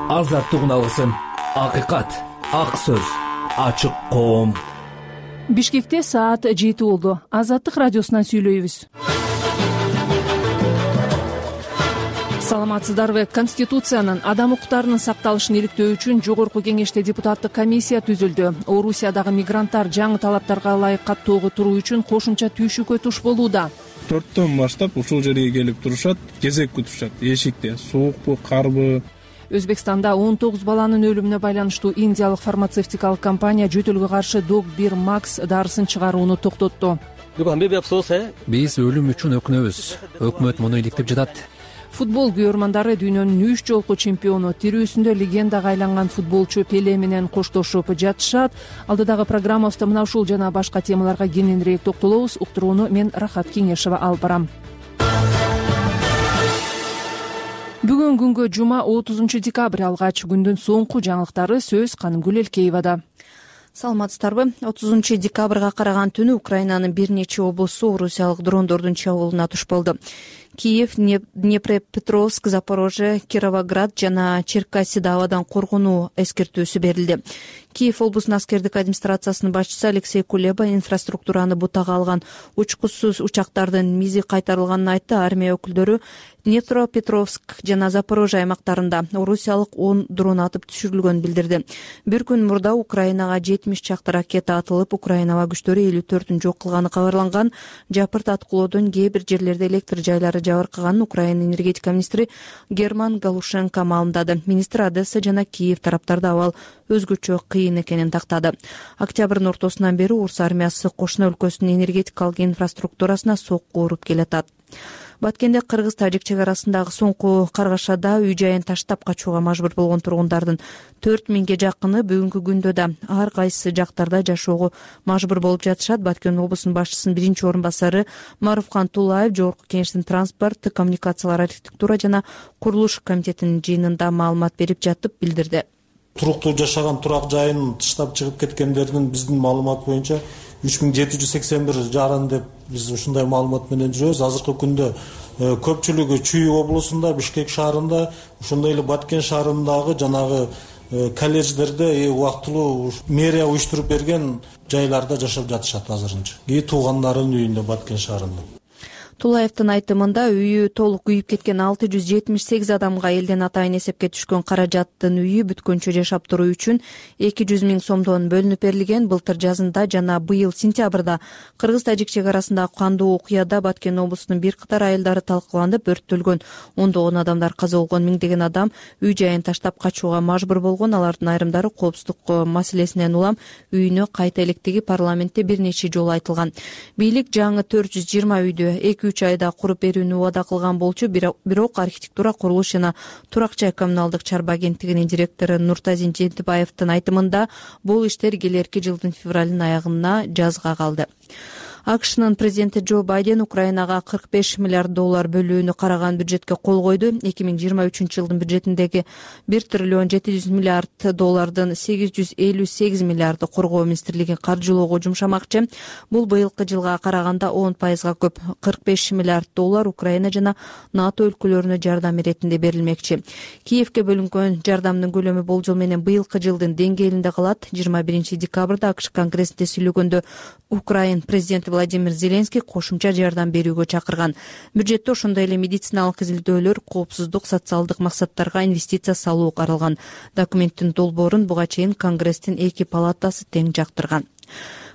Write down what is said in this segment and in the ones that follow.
азаттык үналысын, акыйкат, ак сөз, ачык коом. Бишкекте саат 7 болду. Азаттык радиосунан сүйлөйбүз. Саламатсыздарбы? Конституциянын адам укуктарынын сакталышын иликтөө үчүн жогорку кеңеште депутаттык комиссия түзүлдү. Орусиядагы мигранттар жаңы талаптарга ылайык каттоого туруу үчүн кошумча түйшүккө туш болууда. 4-төн баштап ушул жерге келип турушат, кезек күтүшат. Эшикте суукпу, карбы. Өзбекстанда 19 баланын өлүмүнө байланыштуу индиялык фармацевтикалык компания жөтөлгө каршы Dog1 Max дарысын чыгарууну токтотту. Биз өлүм үчүн өкүнөбүз. Өкмөт муну иликтеп жатат. Футбол күйөрмандары дүйнөнүн 3 жолку чемпиону, тирүүсүндө легендага айланган футболчу Пеле менен коштошуп жатышат. Алдыдагы программабызда мына ушул жана башка темаларга кененирээк токтолобуз. Уктурууну мен Рахат Кеңешова алып барам. Бүгүн күнгө жума 30 декабрь алгач. Күндүн соңку жаңылыктары сөз Канымгүл Элкеевада. Саламатсыздарбы? 30 декабрга караган түнү Украинанын бир нече облусу орусиялык дрондордун чабуулуна туш болду. Киев, Днепропетровск, Запорожье, Кировоград жана Черкассида абадан коргонуу эскертүүсү берилди. Киев облусунун аскердик администрациясынын башчысы Алексей Кулеба инфраструктураны бутага алган учкучсуз учактардын мизи кайтарылганын айтты. Армия өкүлдөрү Днепропетровск жана Запорожье аймактарында орусиялык 10 дрон атып түшүрүлгөнүн билдирди. Бир күн мурда Украинага 70 чакты ракета атылып, Украина аба күчтөрү 54-н жок кылганы кабарланган. Жапырт аткылоодон кээ бир жерлерде электр жайлары жабыркаганын Украина энергетика министри Герман Галушенко маалымдады. Министр Одесса жана Киев тараптарда абал өзгөчө кыйын экенин тактады. Октябрдын ортосунан бери Орус армиясы кошуна өлкөсүнүн энергетикалык инфраструктурасына сокку уруп келатат. Баткенде кыргыз-тажик чек арасындагы соңку каргашада үй жайын таштап качууга мажбур болгон тургундардын 4000ге жакыны бүгүнкү күндө да ар кайсы жактарда жашоого мажбур болуп жатышат. Баткен облусунун башчысынын биринчи орун басары Маруфкан Тулаев жогорку кеңештин транспорт, коммуникациялар, архитектура жана курулуш комитетинин жыйынында маалымат берип жатып билдирди. Туруктуу жашаган турак жайын тыштап чыгып кеткендердин биздин маалымат боюнча 3781 жарын деп биз ушундай маалымат менен жүрөбүз. Азыркы күндө көпчүлүгү Чүй облусунда, Бишкек шаарында, ошондой эле Баткен шаарындагы жанагы колледждерде убактылуу мэрия уюштуруп берген жайларда жашап жатышат азырынча. Туугандарынын үйүндө Баткен шаарында. Тулаевдин айтымында үйү толук күйүп кеткен 678 адамга элден атайын эсепке түшкөн каражаттын үйү бүткөнчө жашап туруу үчүн 200 000 сомдон бөлүнүп берилген. Былтыр жазында жана быйыл сентябрда кыргыз-тажик чек арасындагы кандуу окуяда Баткен облусунун бир катар айылдары талкаланып, өрттөлгөн. Ондогон адамдар каза болгон, миңдеген адам үй жайын таштап качууга мажбур болгон. Алардын айрымдары коопсуздук маселесинен улам үйүнө кайта электиги парламентте бир нече жолу айтылган. Бийлик жаңы 420 үйдү 2-3 айда куруп берүүнү убада кылган болчу. Бирок архитектура, курулуш жана турак жай коммуналдык чарба агенттигинин директору Нуртазин Жентибаевдин айтымында бул иштер келерки жылдын февралдын аягына жазга калды. АКШнын президенти Джо Байден Украинага $45 миллиард бөлүүнү караган бюджетке кол койду. 2023 жылдын бюджетиндеги $1 триллион 700 миллиард $858 миллиарды коргоо министрлиги каржылоого жумшамакчы. Бул быйылкы жылга караганда 10% көп. $45 миллиард Украина жана НАТО өлкөлөрүнө жардам иретинде берилмекчи. Киевке бөлүнгөн жардамдын көлөмү болжол менен быйылкы жылдын деңгээлинде калат. 21 декабрда АКШ конгрессинде сүйлөгөндө Украин президенти Владимир Зеленский кошумча жардам берүүгө чакырган. Бюджетте ошондой эле медициналык изилдөөлөр, коопсуздук, социалдык максаттарга инвестиция салуу каралган. Документтин долбоорун буга чейин Конгресстин 2 палатасы тең жактырган.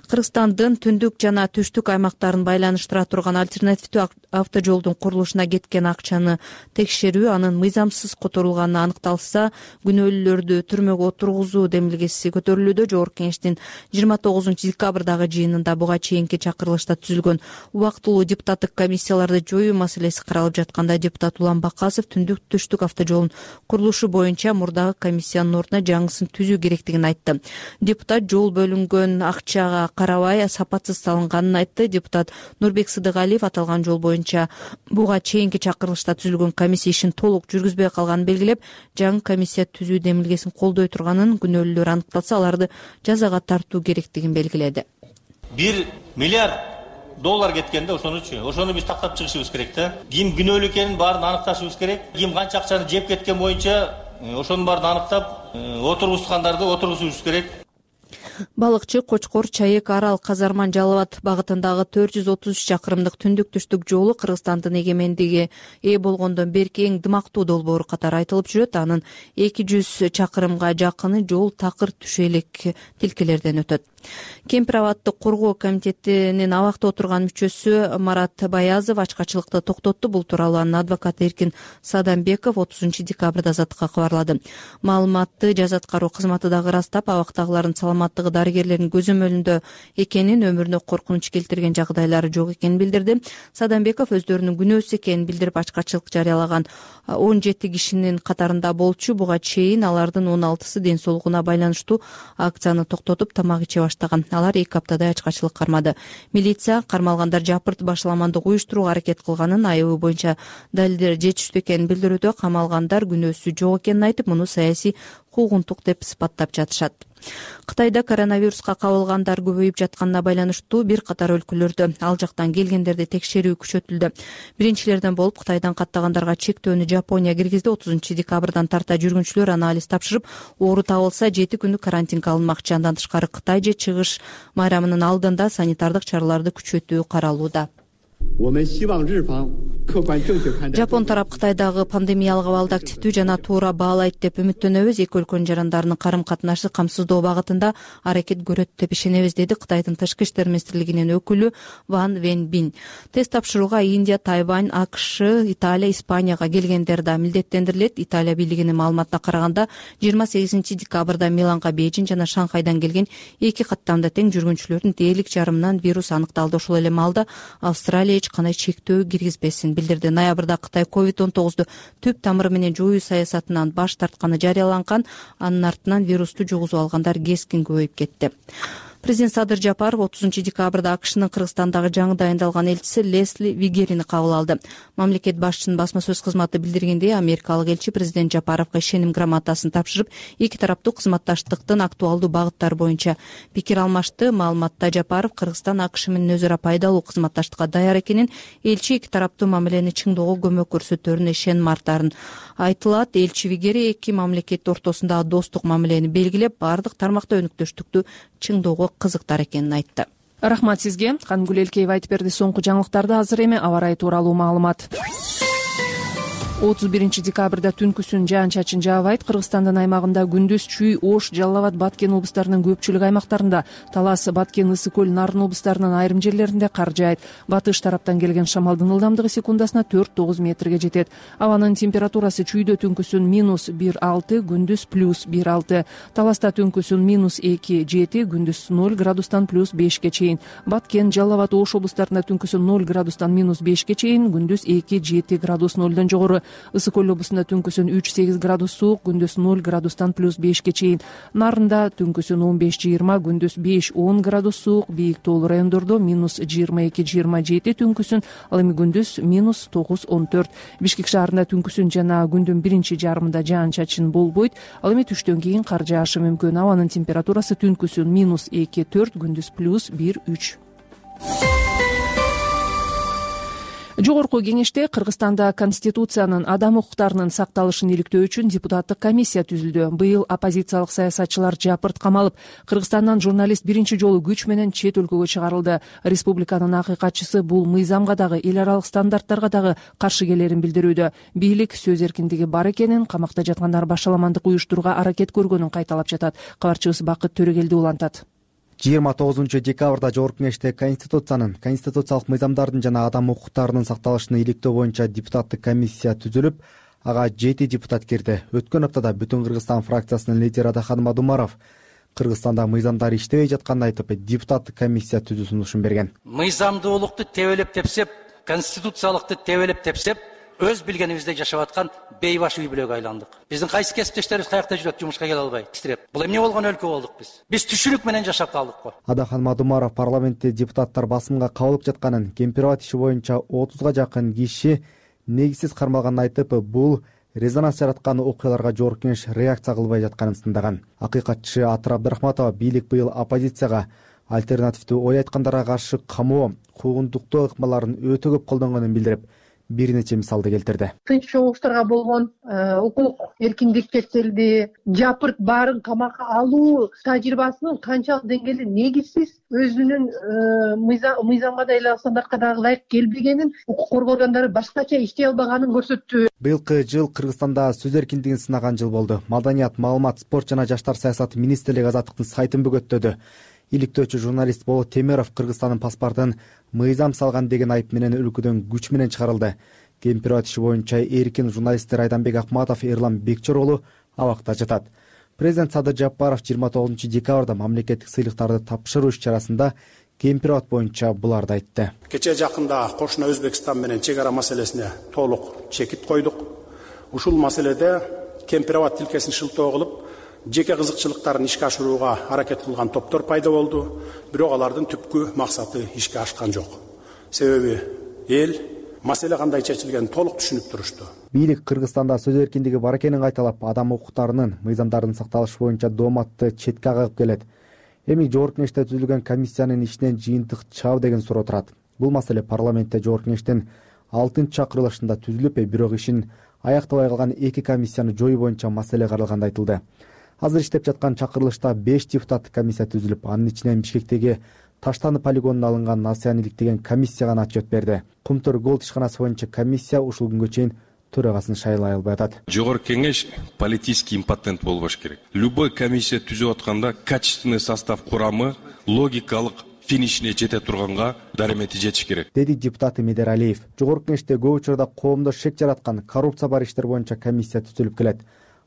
Кыргызстандын түндүк жана түштүк аймактарын байланыштыра турган альтернативдүү автожолдун курулушуна кеткен акчаны текшерүү, анын мыйзамсыз которулганы аныкталса, күнөөлүүлөрдү түрмөгө отургузуу демилгеси көтөрүлүүдө. Жогорку кеңештин 29 декабрдагы жыйынында буга чейинки чакырылышта түзүлгөн убактылуу депутаттык комиссияларды жоюу маселеси каралып жатканда депутат Улан Бакасов түндүк түштүк автожолунун курулушу боюнча мурдагы комиссиянын ордуна жаңысын түзүү керектигин айтты. Депутат жол бөлүнгөн акчага карабай сапатсыз салынганын айтты. Депутат Нурбек Сыдыгалиев аталган жол боюнча буга чейинки чакырылышта түзүлгөн комиссия ишин толук жүргүзбөй калганын белгилеп, жаңы комиссия түзүү демилгесин колдой турганын, күнөөлүүлөр аныкталса аларды жазага тартуу керектигин белгиледи. $1 миллиард кеткенде ошону биз тактап чыгышыбыз керек да. Ким күнөөлүү экенин баарын аныкташыбыз керек. Ким канча акчаны жеп кеткен боюнча ошонун баарын аныктап, отургузгандарды отургузуш керек. Балыкчы Кочкор Чаек Арал Казарман Жалал-Абад багытындагы 433 чакырымдык түндүк-түштүк жолу Кыргызстандын эгемендиги ээ болгондон берки эң дымактуу долбоору катары айтылып жүрөт. Анын 200 чакырымга жакыны жол такыр түшөлүк тилкелерден өтөт. Кемпир абадты коргоо комитетинин абакта отурган мүчөсү Марат Баязов ачкачылыкты токтотту. Бул тууралуу анын адвокаты Эркин Садамбеков 30 декабрда Азаттыкка кабарлады. Маалыматты жаза аткаруу кызматы дагы ырастап, абактагылардын саламаттыгы дарыгерлердин көзөмөлүндө экенин, өмүрүнө коркунуч келтирген жагдайлары жок экенин билдирди. Садамбеков өздөрүнүн күнөөсүз экенин билдирип, ачкачылык жарыялаган 17 кишинин катарында болчу. Буга чейин алардын 16сы ден соолугуна байланыштуу акцияны токтотуп, тамак иче баштаган. Алар 2 аптадай ачкачылык кармады. Милиция кармалгандар жапырт башаламандык уюштурууга аракет кылганын, айыбы боюнча далилдер жетиштүү экенин билдирүүдө. Камалгандар күнөөсү жок экенин айтып, муну саясий куугунтук деп сыпаттап жатышат. Кытайда коронавируска кабылгандар көбөйүп жатканына байланыштуу бир катар өлкөлөрдө ал жактан келгендерди текшерүү күчөтүлдү. Биринчилерден болуп Кытайдан каттагандарга чектөөнү Жапония киргизди. 30 декабрдан тарта жүргүнчүлөр анализ тапшырып, оору табылса 7 күндүк карантинге алынмакчы. Андан тышкары Кытай же чыгыш майрамынын алдында санитардык чараларды күчөтүү каралууда. Жапон тарап Кытайдагы пандемиялык абалды активдүү жана туура баалайт деп үмүттөнөбүз. Эки өлкөнүн жарандарынын карым-катнашы камсыздоо багытында аракет көрөт деп ишенебиз, деди Кытайдын тышкы иштер министрлигинин өкүлү Ван Венбин. Тест тапшырууга Индия, Тайвань, АКШ, Италия, Испанияга келгендер да милдеттендирилет. Италия бийлигинин маалыматына караганда 28 декабрда Миланга, Бейжиң жана Шанхайдан келген 2 каттамда тең жүргүнчүлөрдүн дээрлик жарымынан вирус аныкталды. Ошол эле маалда Австралия эч кандай чектөө киргизбесин билдирди. Ноябрда Кытай COVID-19 түп тамыры менен жоюу саясатынан баш тартканы жарыяланган. Анын артынан вирусту жугузуп алгандар кескин көбөйүп кетти. Президент Садыр Жапаров 30 декабрда АКШнын Кыргызстандагы жаңы дайындалган элчиси Лесли Вигерини кабыл алды. Мамлекет башчысынын басма сөз кызматы билдиргендей, америкалык элчи президент Жапаровго ишеним грамотасын тапшырып, эки тараптуу кызматташтыктын актуалдуу багыттары боюнча пикир алмашты. Маалыматта Жапаров Кыргызстан АКШ менен өзара пайдалуу кызматташтыкка даяр экенин, элчи эки тараптуу мамилени чыңдоого көмөк көрсөтөрүнө ишеним артарын айтылат. Элчи Вигери эки мамлекет ортосундагы достук мамилени белгилеп, бардык тармакта өнүктөштүктү чыңдоого кызыктар экенин айтты. Рахмат сизге. Кангүл Элкеева айтып берди. Соңку жаңылыктарды азыр эми аба ырайы тууралуу маалымат. 31 декабрда түнкүсүн жаан-чачын жаабайт. Кыргызстандын аймагында күндүз Чүй, Ош, Жалал-Абад, Баткен облустарынын көпчүлүк аймактарында, Талас, Баткен, Ысык көл, Нарын облустарынын айрым жерлеринде кар жаайт. Батыш тараптан келген шамалдын ылдамдыгы секундасына 4-9 метрге жетет. Абанын температурасы Чүйдө түнкүсүн -1,6, күндүз +1,6. Таласта түнкүсүн -2,7, күндүз 0 градустан +5ке чейин. Баткен, Жалал-Абад, Ош облустарында түнкүсүн 0 градустан -5ке чейин, күндүз 2-7 градус 0дон жогору. Ысык көл облусунда түнкүсүн 3-8 градус суук, күндүз 0 градустан +5ке чейин. Нарында түнкүсүн 15-20, күндүз 5-10 градус суук, бийик тоолуу райондордо -22-27 түнкүсүн, ал эми күндүз -9-14. Бишкек шаарында түнкүсүн жана күндүн биринчи жарымында жаан-чачын болбойт, ал эми түштөн кийин кар жаашы мүмкүн. Абанын температурасы түнкүсүн -2-4, күндүз +1-3. Жогорку кеңеште Кыргызстанда Конституциянын адам укуктарынын сакталышын иликтөө үчүн депутаттык комиссия түзүлдү. Быйыл оппозициялык саясатчылар жапырт камалып, Кыргызстандан журналист биринчи жолу күч менен чет өлкөгө чыгарылды. Республиканын акыйкатчысы бул мыйзамга дагы, эл аралык стандарттарга дагы каршы келерин билдирүүдө. Бийлик сөз эркиндиги бар экенин, камакта жаткандар башаламандык уюштурууга аракет көргөнүн кайталап жатат. Кабарчыбыз Бакыт Төрөгелди улантат. 29 декабрда Жогорку кеңеште Конституциянын, конституциялык мыйзамдардын жана адам укуктарынын сакталышын иликтөө боюнча депутаттык комиссия түзүлүп, ага 7 депутат кирди. Өткөн аптада Бүтүн Кыргызстан фракциясынын лидери Адахан Мадумаров Кыргызстанда мыйзамдар иштебей жатканын айтып, депутаттык комиссия түзүү сунушун берген. Мыйзамдуулукту тебелеп тепсеп, конституциялыкты тебелеп тепсеп, өз билгенибизде жашап аткан бейбаш үй бүлөгө айландык. Биздин кайсы кесиптештерибиз каякта жүрөт, жумушка келе албай, титиреп. Бул эмне болгон өлкө болдук биз? Биз түшүнүк менен жашап калдык го. Адахан Мадумаров парламентте депутаттар басымга кабылып жатканын, кемпир абад иши боюнча 30га жакын киши негизсиз кармалганын айтып, бул резонанс жараткан окуяларга Жогорку кеңеш реакция кылбай жатканын сындаган. Акыйкатчы Атыр Абдрахматова бийлик быйыл оппозицияга альтернативдүү ой айткандарга каршы камоо, куугунтуктоо ыкмаларын өтө көп колдонгонун билдирип, бир нече мисалды келтирди. Тынч чогулуштарга болгон укук эркиндик чектелди, жапырт баарын камакка алуу тажрыйбасынын канчалык деңгээлде негизсиз, өзүнүн мыйзамга да эле стандартка дагы ылайык келбегенин, укук коргоо органдары башкача иштей албаганын көрсөттү. Быйылкы жыл Кыргызстанда сөз эркиндигин сынаган жыл болду. Маданият, маалымат, спорт жана жаштар саясаты министрлиги Азаттыктын сайтын бөгөттөдү. Иликтөөчү журналист Болот Темиров Кыргызстандын паспортун мыйзам салган деген айып менен өлкөдөн күч менен чыгарылды. Кемпирова иши боюнча эркин журналисттер Айданбек Акматов, Эрлан Бекчор абакта жатат. Президент Садыр Жапаров 29 декабрда мамлекеттик сыйлыктарды тапшыруу иш-чарасында Кемпирова боюнча буларды айтты. Кече жакында кошуна Өзбекстан менен чек ара маселесине толук чекит койдук. Ушул маселеде Кемпирова тилкесин шылтоо кылып, жеке кызыкчылыктарын ишке ашырууга аракет кылган топтор пайда болду. Бирок алардын түпкү максаты ишке ашкан жок. Себеби эл маселе кандай чечилгенин толук түшүнүп турушту. Бийлик Кыргызстанда сөз эркиндиги бар экенин кайталап, адам укуктарынын, мыйзамдардын сакталышы боюнча дооматты четке кагып келет. Эми жогорку кеңеште түзүлгөн комиссиянын ишинен жыйынтык чыгабы деген суроо турат. Бул маселе парламентте жогорку кеңештин 6-чакырылышында түзүлүп, бирок ишин аяктабай калган 2 комиссияны жоюу боюнча маселе каралганда айтылды. Азыр иштеп жаткан чакырылышта 5 депутаттык комиссия түзүлүп, анын ичинен Бишкектеги Таштаны полигонуна алынган Насыян иликтеген комиссия гана отчет берди. Кумтөр Голд ишканасы боюнча комиссия ушул күнгө чейин төрагасын шайлай албай атат. Жогорку кеңеш политический импотент болбош керек. Любой комиссия түзүп атканда качественный состав курамы логикалык финишине жете турганга даремети жетиш керек, деди депутат Медер Алиев. Жогорку кеңеште көп учурда коомдо шек жараткан коррупция бар иштер боюнча комиссия түзүлүп келет.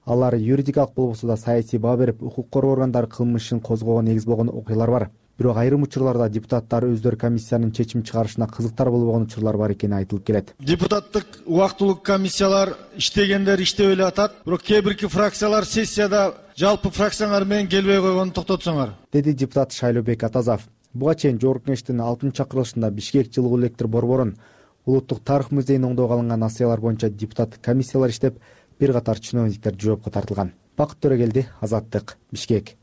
Алар юридикалык болбосо да саясий баа берип, укук коргоо органдары кылмыш ишин козгоого негиз болгон окуялар бар. Бирок айрым учурларда депутаттар өздөрү комиссиянын чечим чыгарышына кызыктар болбогон учурлар бар экени айтылып келет. Депутаттык убактылуу комиссиялар иштегендер иштеп эле атат, бирок кээ бирки фракциялар сессияда жалпы фракциялар менен келбей койгонун токтотсоңор, деди депутат Шайлообек Атазов. Буга чейин жогорку кеңештин 6-чакырылышында Бишкек жылуу электр борборун, улуттук тарых музейин оңдоого алынган насыялар боюнча депутаттык комиссиялар иштеп, бир катар чиновниктер жоопко тартылган. Бакыт Төрөгелди, Азаттык, Бишкек.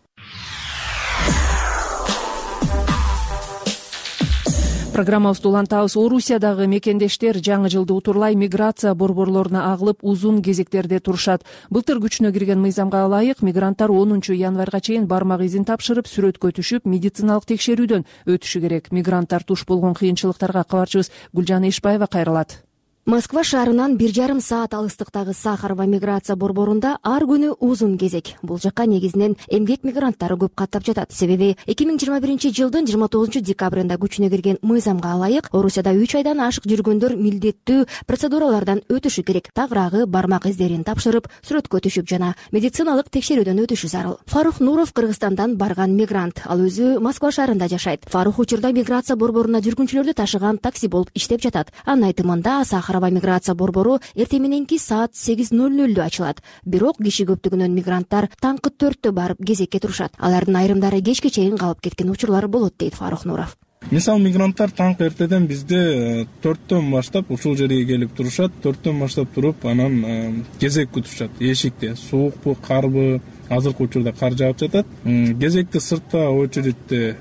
Программабызды улантабыз. Орусиядагы мекендештер жаңы жылды утурлай миграция борборлоруна агылып, узун кезектерде турушат. Былтыр күчүнө кирген мыйзамга ылайык мигранттар 10 январга чейин бармак изин тапшырып, сүрөткө түшүп, медициналык текшерүүдөн өтүшү керек. Мигранттар туш болгон кыйынчылыктарга кабарчыбыз Гүлжан Ишбаева кайрылат. Москва шаарынан 1,5 саат алыстыктагы Сахарова миграция борборунда ар күнү узун кезек. Бул жакка негизинен эмгек мигранттары көп каттап жатат. Себеби 2021 жылдын 29 декабрында күчүнө кирген мыйзамга ылайык Орусияда 3 айдан ашык жүргөндөр милдеттүү процедуралардан өтүшү керек. Тагыраагы бармак издерин тапшырып, сүрөткө түшүп жана медициналык текшерүүдөн өтүшү зарыл. Фарух Нуров Кыргызстандан барган мигрант. Ал өзү Москва шаарында жашайт. Фарух учурда миграция борборуна жүргүнчүлөрдү ташыган такси болуп иштеп жатат. Анын айтымында Сахарова миграция борбору эртең мененки саат 8:00 ачылат. Бирок киши көптүгүнөн мигранттар таңкы 4-тө барып кезекке турушат. Алардын айрымдары кечке чейин калып кеткен учурлар болот, дейт Фарух Нуров. Мисалы мигранттар таңкы эртеден бизде 4-төн баштап ушул жерге келип турушат. 4-төн баштап туруп, анан кезек күтүшат. Эшикте суукпу, карбы, азыркы учурда кар жаап жатат. Кезекте сыртта очередте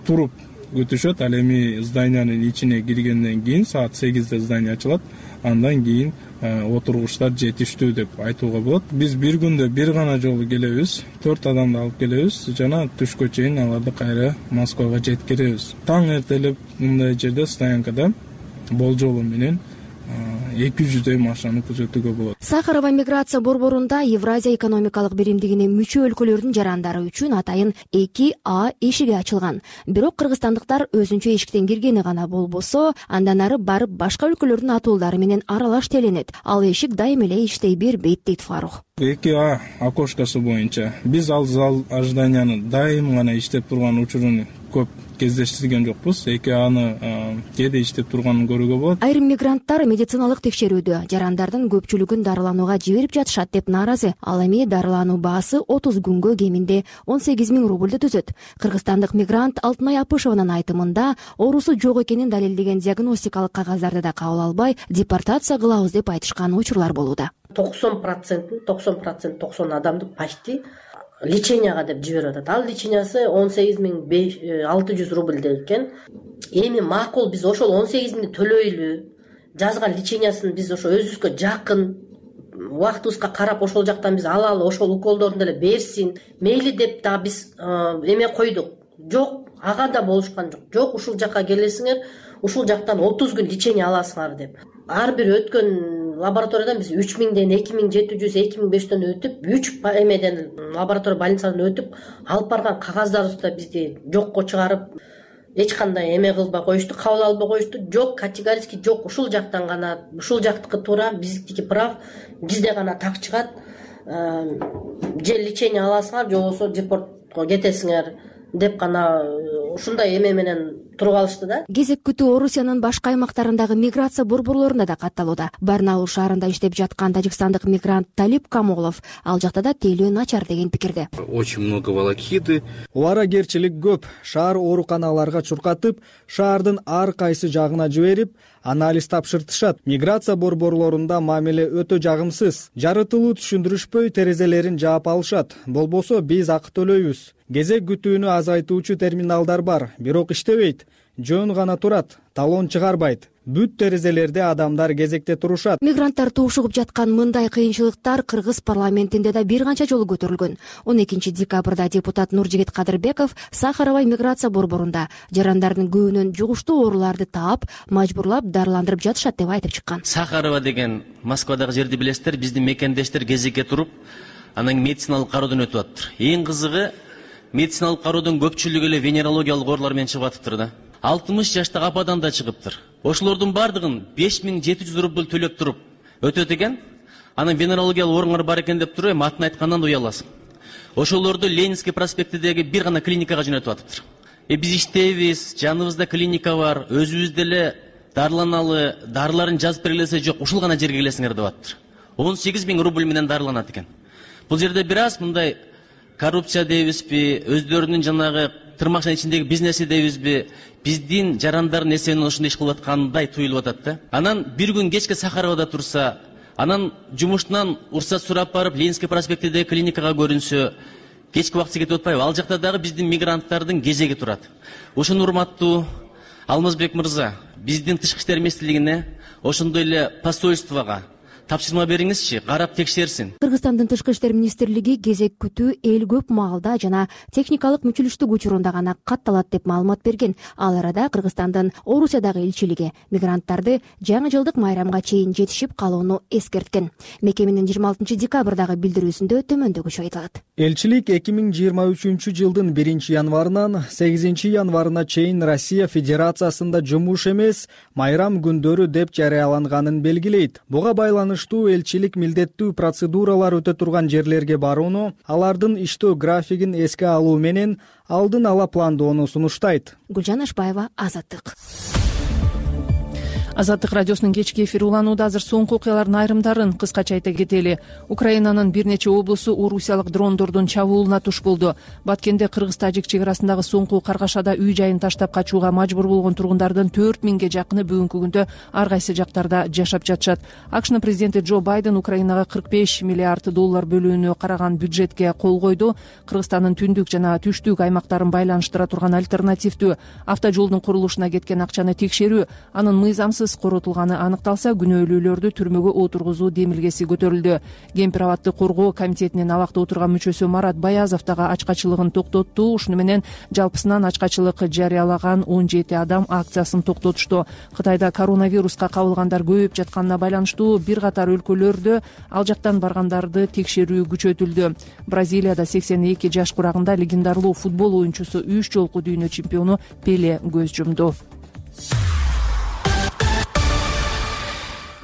туруп күтүшөт. Ал эми зданиянын ичине киргенден кийин саат 8-де здание ачылат. Андан кийин отургучтар жетиштүү деп айтууга болот. Биз бир күндө бир гана жолу келебиз, 4 адамды алып келебиз жана түшкө чейин аларды кайра Москвага жеткиребиз. Таң эртелеп мындай жерде стоянкада болжолу менен 200 машинаны күзөтүүгө болот. Сахарова миграция борборунда Евразия экономикалык биримдигине мүчө өлкөлөрдүн жарандары үчүн атайын 2А эшиги ачылган. Бирок кыргызстандыктар өзүнчө эшиктен киргени гана болбосо, андан ары барып башка өлкөлөрдүн атуулдары менен аралаш теленет. Ал эшик дайым эле иштей бербейт, дейт Фарух. 2А окошкасы боюнча биз ал зал ожиданияны дайым гана иштеп турган учурун көп кездештирген жокпуз. 2Аны кээде иштеп турганын көрүүгө болот. Айрым мигранттар медициналык текшерүүдө жарандардын көпчүлүгүн дарыланууга жиберип жатышат деп нааразы. Ал эми дарылануу баасы 30 күнгө кеминде 18 000 рубльды түзөт. Кыргызстандык мигрант Алтынай Апышеванын айтымында оорусу жок экенин далилдеген диагностикалык кагаздарды да кабыл албай, депортация кылабыз деп айтышкан учурлар болууда. 90% адамды почти леченияга деп жиберип атат. Ал лечениясы 18 600 рубль экен. Эми макул биз ошол 18 000 төлөйлү. жазган лечениясын биз ошо өзүбүзгө жакын убактыбызга карап ошол жактан биз алалы, ошол уколдорун деле берсин мейли деп дагы биз эме койдук. Жок, ага да болушкан жок. Жок, ушул жакка келесиңер, ушул жактан 30 күн лечение аласыңар деп. Ар бир өткөн лабораториядан биз 3000ден 2700, 2500дөн өтүп, 3 эмеден лаборатория больницадан өтүп, алып барган кагаздарыбызды да бизди жокко чыгарып, эч кандай эме кылбай коюшту, кабыл албай коюшту. Жок, категорически жок, ушул жактан гана, ушул жактыкы туура, биздики прав, бизде гана так чыгат. Же лечение аласыңар, же болбосо депортко кетесиңер деп гана ушундай эме менен туруп алышты да. Кезек күтүү Орусиянын башка аймактарындагы миграция борборлорунда да катталууда. Барнаул шаарында иштеп жаткан тажикстандык мигрант Талип Камолов ал жакта да тейлөө начар деген пикирде. Очень много волокиты. Убарагерчилик көп. Шаар ооруканаларга чуркатып, шаардын ар кайсы жагына жиберип, анализ тапшыртышат. Миграция борборлорунда мамиле өтө жагымсыз. Жарытылуу түшүндүрүшпөй, терезелерин жаап алышат. Болбосо биз акы төлөйбүз. Кезек күтүүнү азайтуучу терминалдар бар, бирок иштебейт. Жөн гана турат, талон чыгарбайт. Бүт терезелерде адамдар кезекте турушат. Мигранттар туушугуп жаткан мындай кыйынчылыктар Кыргыз парламентинде да бир канча жолу көтөрүлгөн. 12 декабрда депутат Нуржигит Кадырбеков Сахаровай миграция борборунда жарандардын көбүнөн жугуштуу ооруларды таап, мажбурлап дарыландырып жатышат деп айтып чыккан. Сахарова деген Москвадагы жерди билесиздер, биздин мекендештер кезекке туруп, анан медициналык кароодон өтүп атыптыр. Эң кызыгы, медициналык кароодон көпчүлүгү эле венерологиялык оорулар менен чыгып атыптыр да. 60 жаштагы ападан да чыгыптыр. Ошолордун бардыгын 5700 рубль төлөп туруп өтөт экен. Анан венерологиялык ооруңар бар экен деп туруп, атын айткандан да уяласың. Ошолорду Ленинский проспектидеги бир гана клиникага жөнөтүп атыптыр. Биз иштейбиз, жаныбызда клиника бар, өзүбүз деле дарыланалы, дарыларын жазып бергилесе жок, ушул гана жерге келесиңер деп атыптыр. 18 000 рубль менен дарыланат экен. Бул жерде бир аз мындай коррупция дейбизби, өздөрүнүн жанагы тырмакчанын ичиндеги бизнеси дейбизби, биздин жарандардын эсебинен ушундай иш кылып аткандай туюлуп атат да. Анан бир күн кечке Сахаровада турса, анан жумуштан уруксат сурап барып Ленинский проспектидеги клиникага көрүнсө, кечки убакытта кетип атпайбы? Ал жакта дагы биздин мигранттардын кезеги турат. Ушуну урматтуу Алмазбек мырза, биздин тышкы иштер министрлигине, ошондой эле посольствого тапшырма бериңизчи, карап текшерсин. Кыргызстандын тышкы иштер министрлиги кезек күтүү эл көп маалда жана техникалык мүчүлүштүк учурунда гана катталат деп маалымат берген. Ал арада Кыргызстандын Орусиядагы элчилиги мигранттарды жаңы жылдык майрамга чейин жетишип калууну эскерткен. Мекеменин 26 декабрдагы билдирүүсүндө төмөндөгүчө айтылат. Элчилик 2023 жылдын 1 январынан 8 январына чейин Россия Федерациясында жумуш эмес, майрам күндөрү деп жарыяланганын белгилейт. Буга байланыштуу элчилик милдеттүү процедуралар өтө турган жерлерге барууну, алардын иштөө графигин эске алуу менен алдын ала пландоону сунуштайт. Гүлжан Ашбаева, Азаттык. Азаттык радиосунун кечки эфири уланууда. Азыр соңку окуялардын айрымдарын кыскача айта кетели. Украинанын бир нече облусу орусиялык дрондордун чабуулуна туш болду. Баткенде кыргыз-тажик чек арасындагы соңку каргашада үй жайын таштап качууга мажбур болгон тургундардын 4000ге жакыны бүгүнкү күндө ар кайсы жактарда жашап жатышат. АКШнын президенти Джо Байден Украинага $45 миллиард бөлүүнү караган бюджетке кол койду. Кыргызстандын түндүк жана түштүк аймактарын байланыштыра турган альтернативдүү автожолдун курулушуна кеткен акчаны текшерүү, анын мыйзамсыз коротулганы аныкталса, күнөөлүүлөрдү түрмөгө отургузуу демилгеси көтөрүлдү. Кемпир абадты коргоо комитетинин абакта отурган мүчөсү Марат Баязов дагы ачкачылыгын токтотту. Ушуну менен жалпысынан ачкачылык жарыялаган 17 адам акциясын токтотушту. Кытайда коронавируска кабылгандар көбөйүп жатканына байланыштуу бир катар өлкөлөрдө ал жактан баргандарды текшерүү күчөтүлдү. Бразилияда 82 жаш курагында легендарлуу футбол оюнчусу 3 жолку дүйнө чемпиону Пеле көз жумду.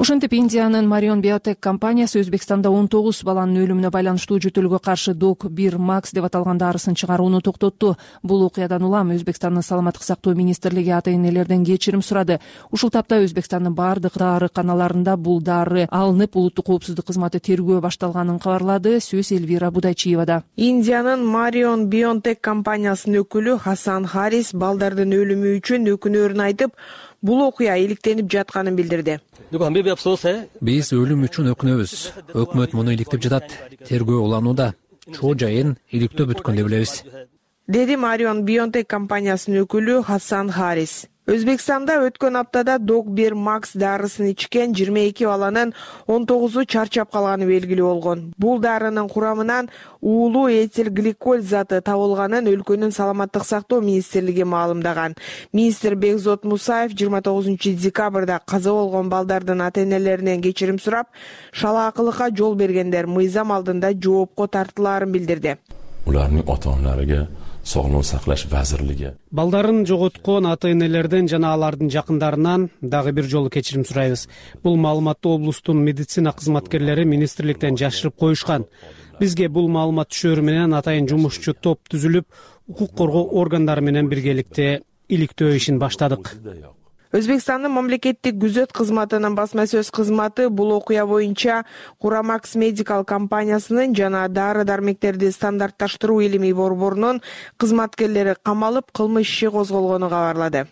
Ошентип Индиянын Marion Biotech компаниясы Өзбекстанда 19 баланын өлүмүнө байланыштуу жөтөлгө каршы Doc-1 Max деп аталган дарысын чыгарууну токтотту. Бул окуядан улам Өзбекстандын саламаттык сактоо министрлиги ата-энелерден кечирим сурады. Ушул тапта Өзбекстандын бардык дарыканаларында бул дары алынып, улуттук коопсуздук кызматы тергөө башталганын кабарлады. Сөз Элвира Будайчиевада. Индиянын Marion Biotech компаниясынын өкүлү Хасан Харис балдардын өлүмү үчүн өкүнөрүн айтып, бул окуя иликтенип жатканын билдирди. Биз өлүм үчүн өкүнөбүз. Өкмөт муну иликтеп жатат. Тергөө уланууда. Чоо жайын иликтөө бүткөн деп билебиз. Деди Marion Biotech компаниясынын өкүлү Хасан Харис. Өзбекстанда өткөн аптада Dog1 Max дарысын ичкен 22 баланын 19-у чарчап калганы белгилүү болгон. Бул дарынын курамынан уулуу этил гликоль заты табылганын өлкөнүн саламаттык сактоо министрлиги маалымдаган. Министр Бекзот Мусаев 29-декабрда каза болгон балдардын ата-энелеринен кечирим сурап, шалаакылыкка жол бергендер мыйзам алдында жоопко тартылаарын билдирди. Улардын ата-аналарга Sog'liqni saqlash vazirligi балдарын жоготкон ата-энелерден жана алардын жакындарынан дагы бир жолу кечирим сурайбыз. Бул маалыматты облустун медицина кызматкерлери министрликтен жашырып коюшкан. Бизге бул маалымат түшөрү менен атайын жумушчу топ түзүлүп, укук коргоо органдары менен биргеликте иликтөө ишин баштадык. Өзбекстандын мамлекеттик күзөт кызматынын басма сөз кызматы бул окуя боюнча Курамакс Медикал компаниясынын жана дары-дармектерди стандартташтыруу илимий борборунун кызматкерлери камалып, кылмыш иши козголгонун кабарлады.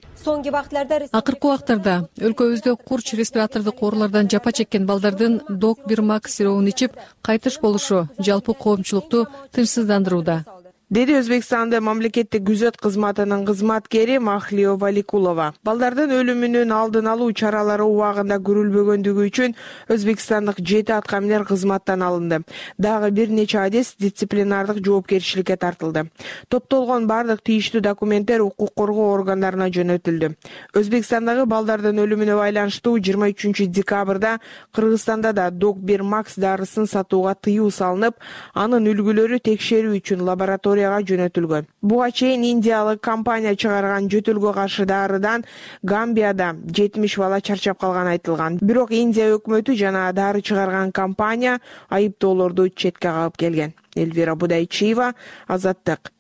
Акыркы убактарда өлкөбүздө курч респиратордук оорулардан жапа чеккен балдардын Dog1 Max сиропун ичип кайтыш болушу жалпы коомчулукту тынчсыздандырууда, деди Өзбекстандын мамлекеттик күзөт кызматынын кызматкери Махлио Валикулова. Балдардын өлүмүнүн алдын алуу чаралары убагында көрүлбөгөндүгү үчүн өзбекстандык 7 аткаминер кызматтан алынды. Дагы бир нече адис дисциплинардык жоопкерчиликке тартылды. Топтолгон бардык тийиштүү документтер укук коргоо органдарына жөнөтүлдү. Өзбекстандагы балдардын өлүмүнө байланыштуу 23-декабрда Кыргызстанда да Dog1 Max дарысын сатууга тыюу салынып, анын үлгүлөрү текшерүү үчүн лаборатория жөнөтүлгөн. Буга чейин индиялык компания чыгарган жөтөлгө каршы дарыдан Гамбияда 70 бала чарчап калганы айтылган. Бирок Индия өкмөтү жана дары чыгарган компания айыптоолорду четке кагып келген. Элвира Будайчиева, Азаттык.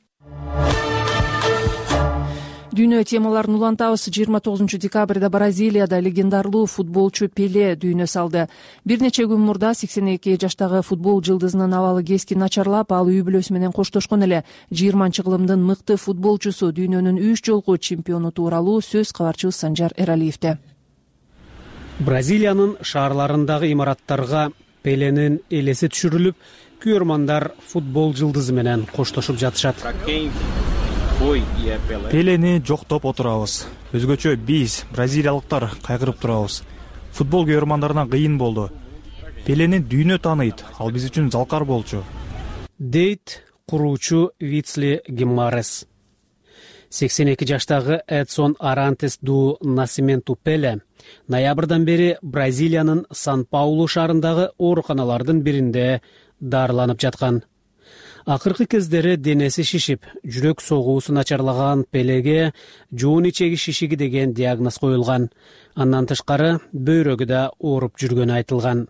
Дүйнө темаларын улантабыз. 29-декабрда Бразилияда легендарлуу футболчу Пеле дүйнө салды. Бир нече күн мурда 82 жаштагы футбол жылдызынын абалы кескин начарлап, ал үй бүлөсү менен коштошкон эле. 20-кылымдын мыкты футболчусу, дүйнөнүн 3 жолку чемпиону тууралуу сөз кабарчыбыз Санжар Эралиевде. Бразилиянын шаарларындагы имараттарга Пеленин элеси түшүрүлүп, күйөрмандар футбол жылдызы менен коштошуп жатышат. Пелени жоктоп отурабыз. Өзгөчө биз, бразилиялыктар, кайгырып турабыз. Футбол көрөрмандарына кыйын болду. Пелени дүйнө тааныйт, ал биз үчүн залкар болчу. Дейт куруучу Вицли Гимарес. 82 жаштагы Эдсон Арантес ду Насименту Пеле ноябрдан бери Бразилиянын Сан-Паулу шаарындагы ооруканалардын биринде дарыланып жаткан. Акыркы кездери денеси шишип, жүрөк согуусу начарлаган Пелеге жоон ичеги шишиги деген диагноз коюлган. Андан тышкары бөйрөгү да ооруп жүргөнү айтылган.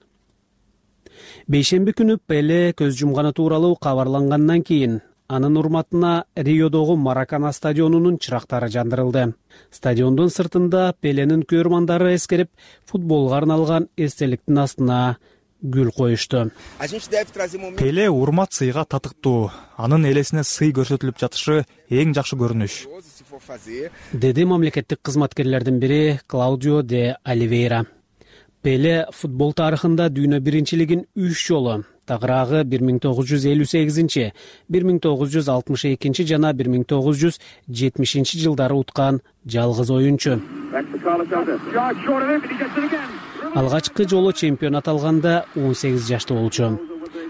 Бейшемби күнү Пеле көз жумганы тууралуу кабарлангандан кийин анын урматына Риодогу Маракана стадионунун чырактары жандырылды. Стадиондун сыртында Пеленин көрөрмандары эскерип, футболго арналган эстеликтин астына гүл коюшту. Пеле урмат сыйга татыктуу. Анын элесине сый көрсөтүлүп жатышы эң жакшы көрүнүш, деди мамлекеттик кызматкерлердин бири Клаудио де Оливейра. Пеле футбол тарыхында дүйнө биринчилигин 3 жолу, тагыраагы 1958, 1962 жана 1970 жылдары уткан жалгыз оюнчу. Алгачкы жолу чемпионат алганда 18 жашта болчу.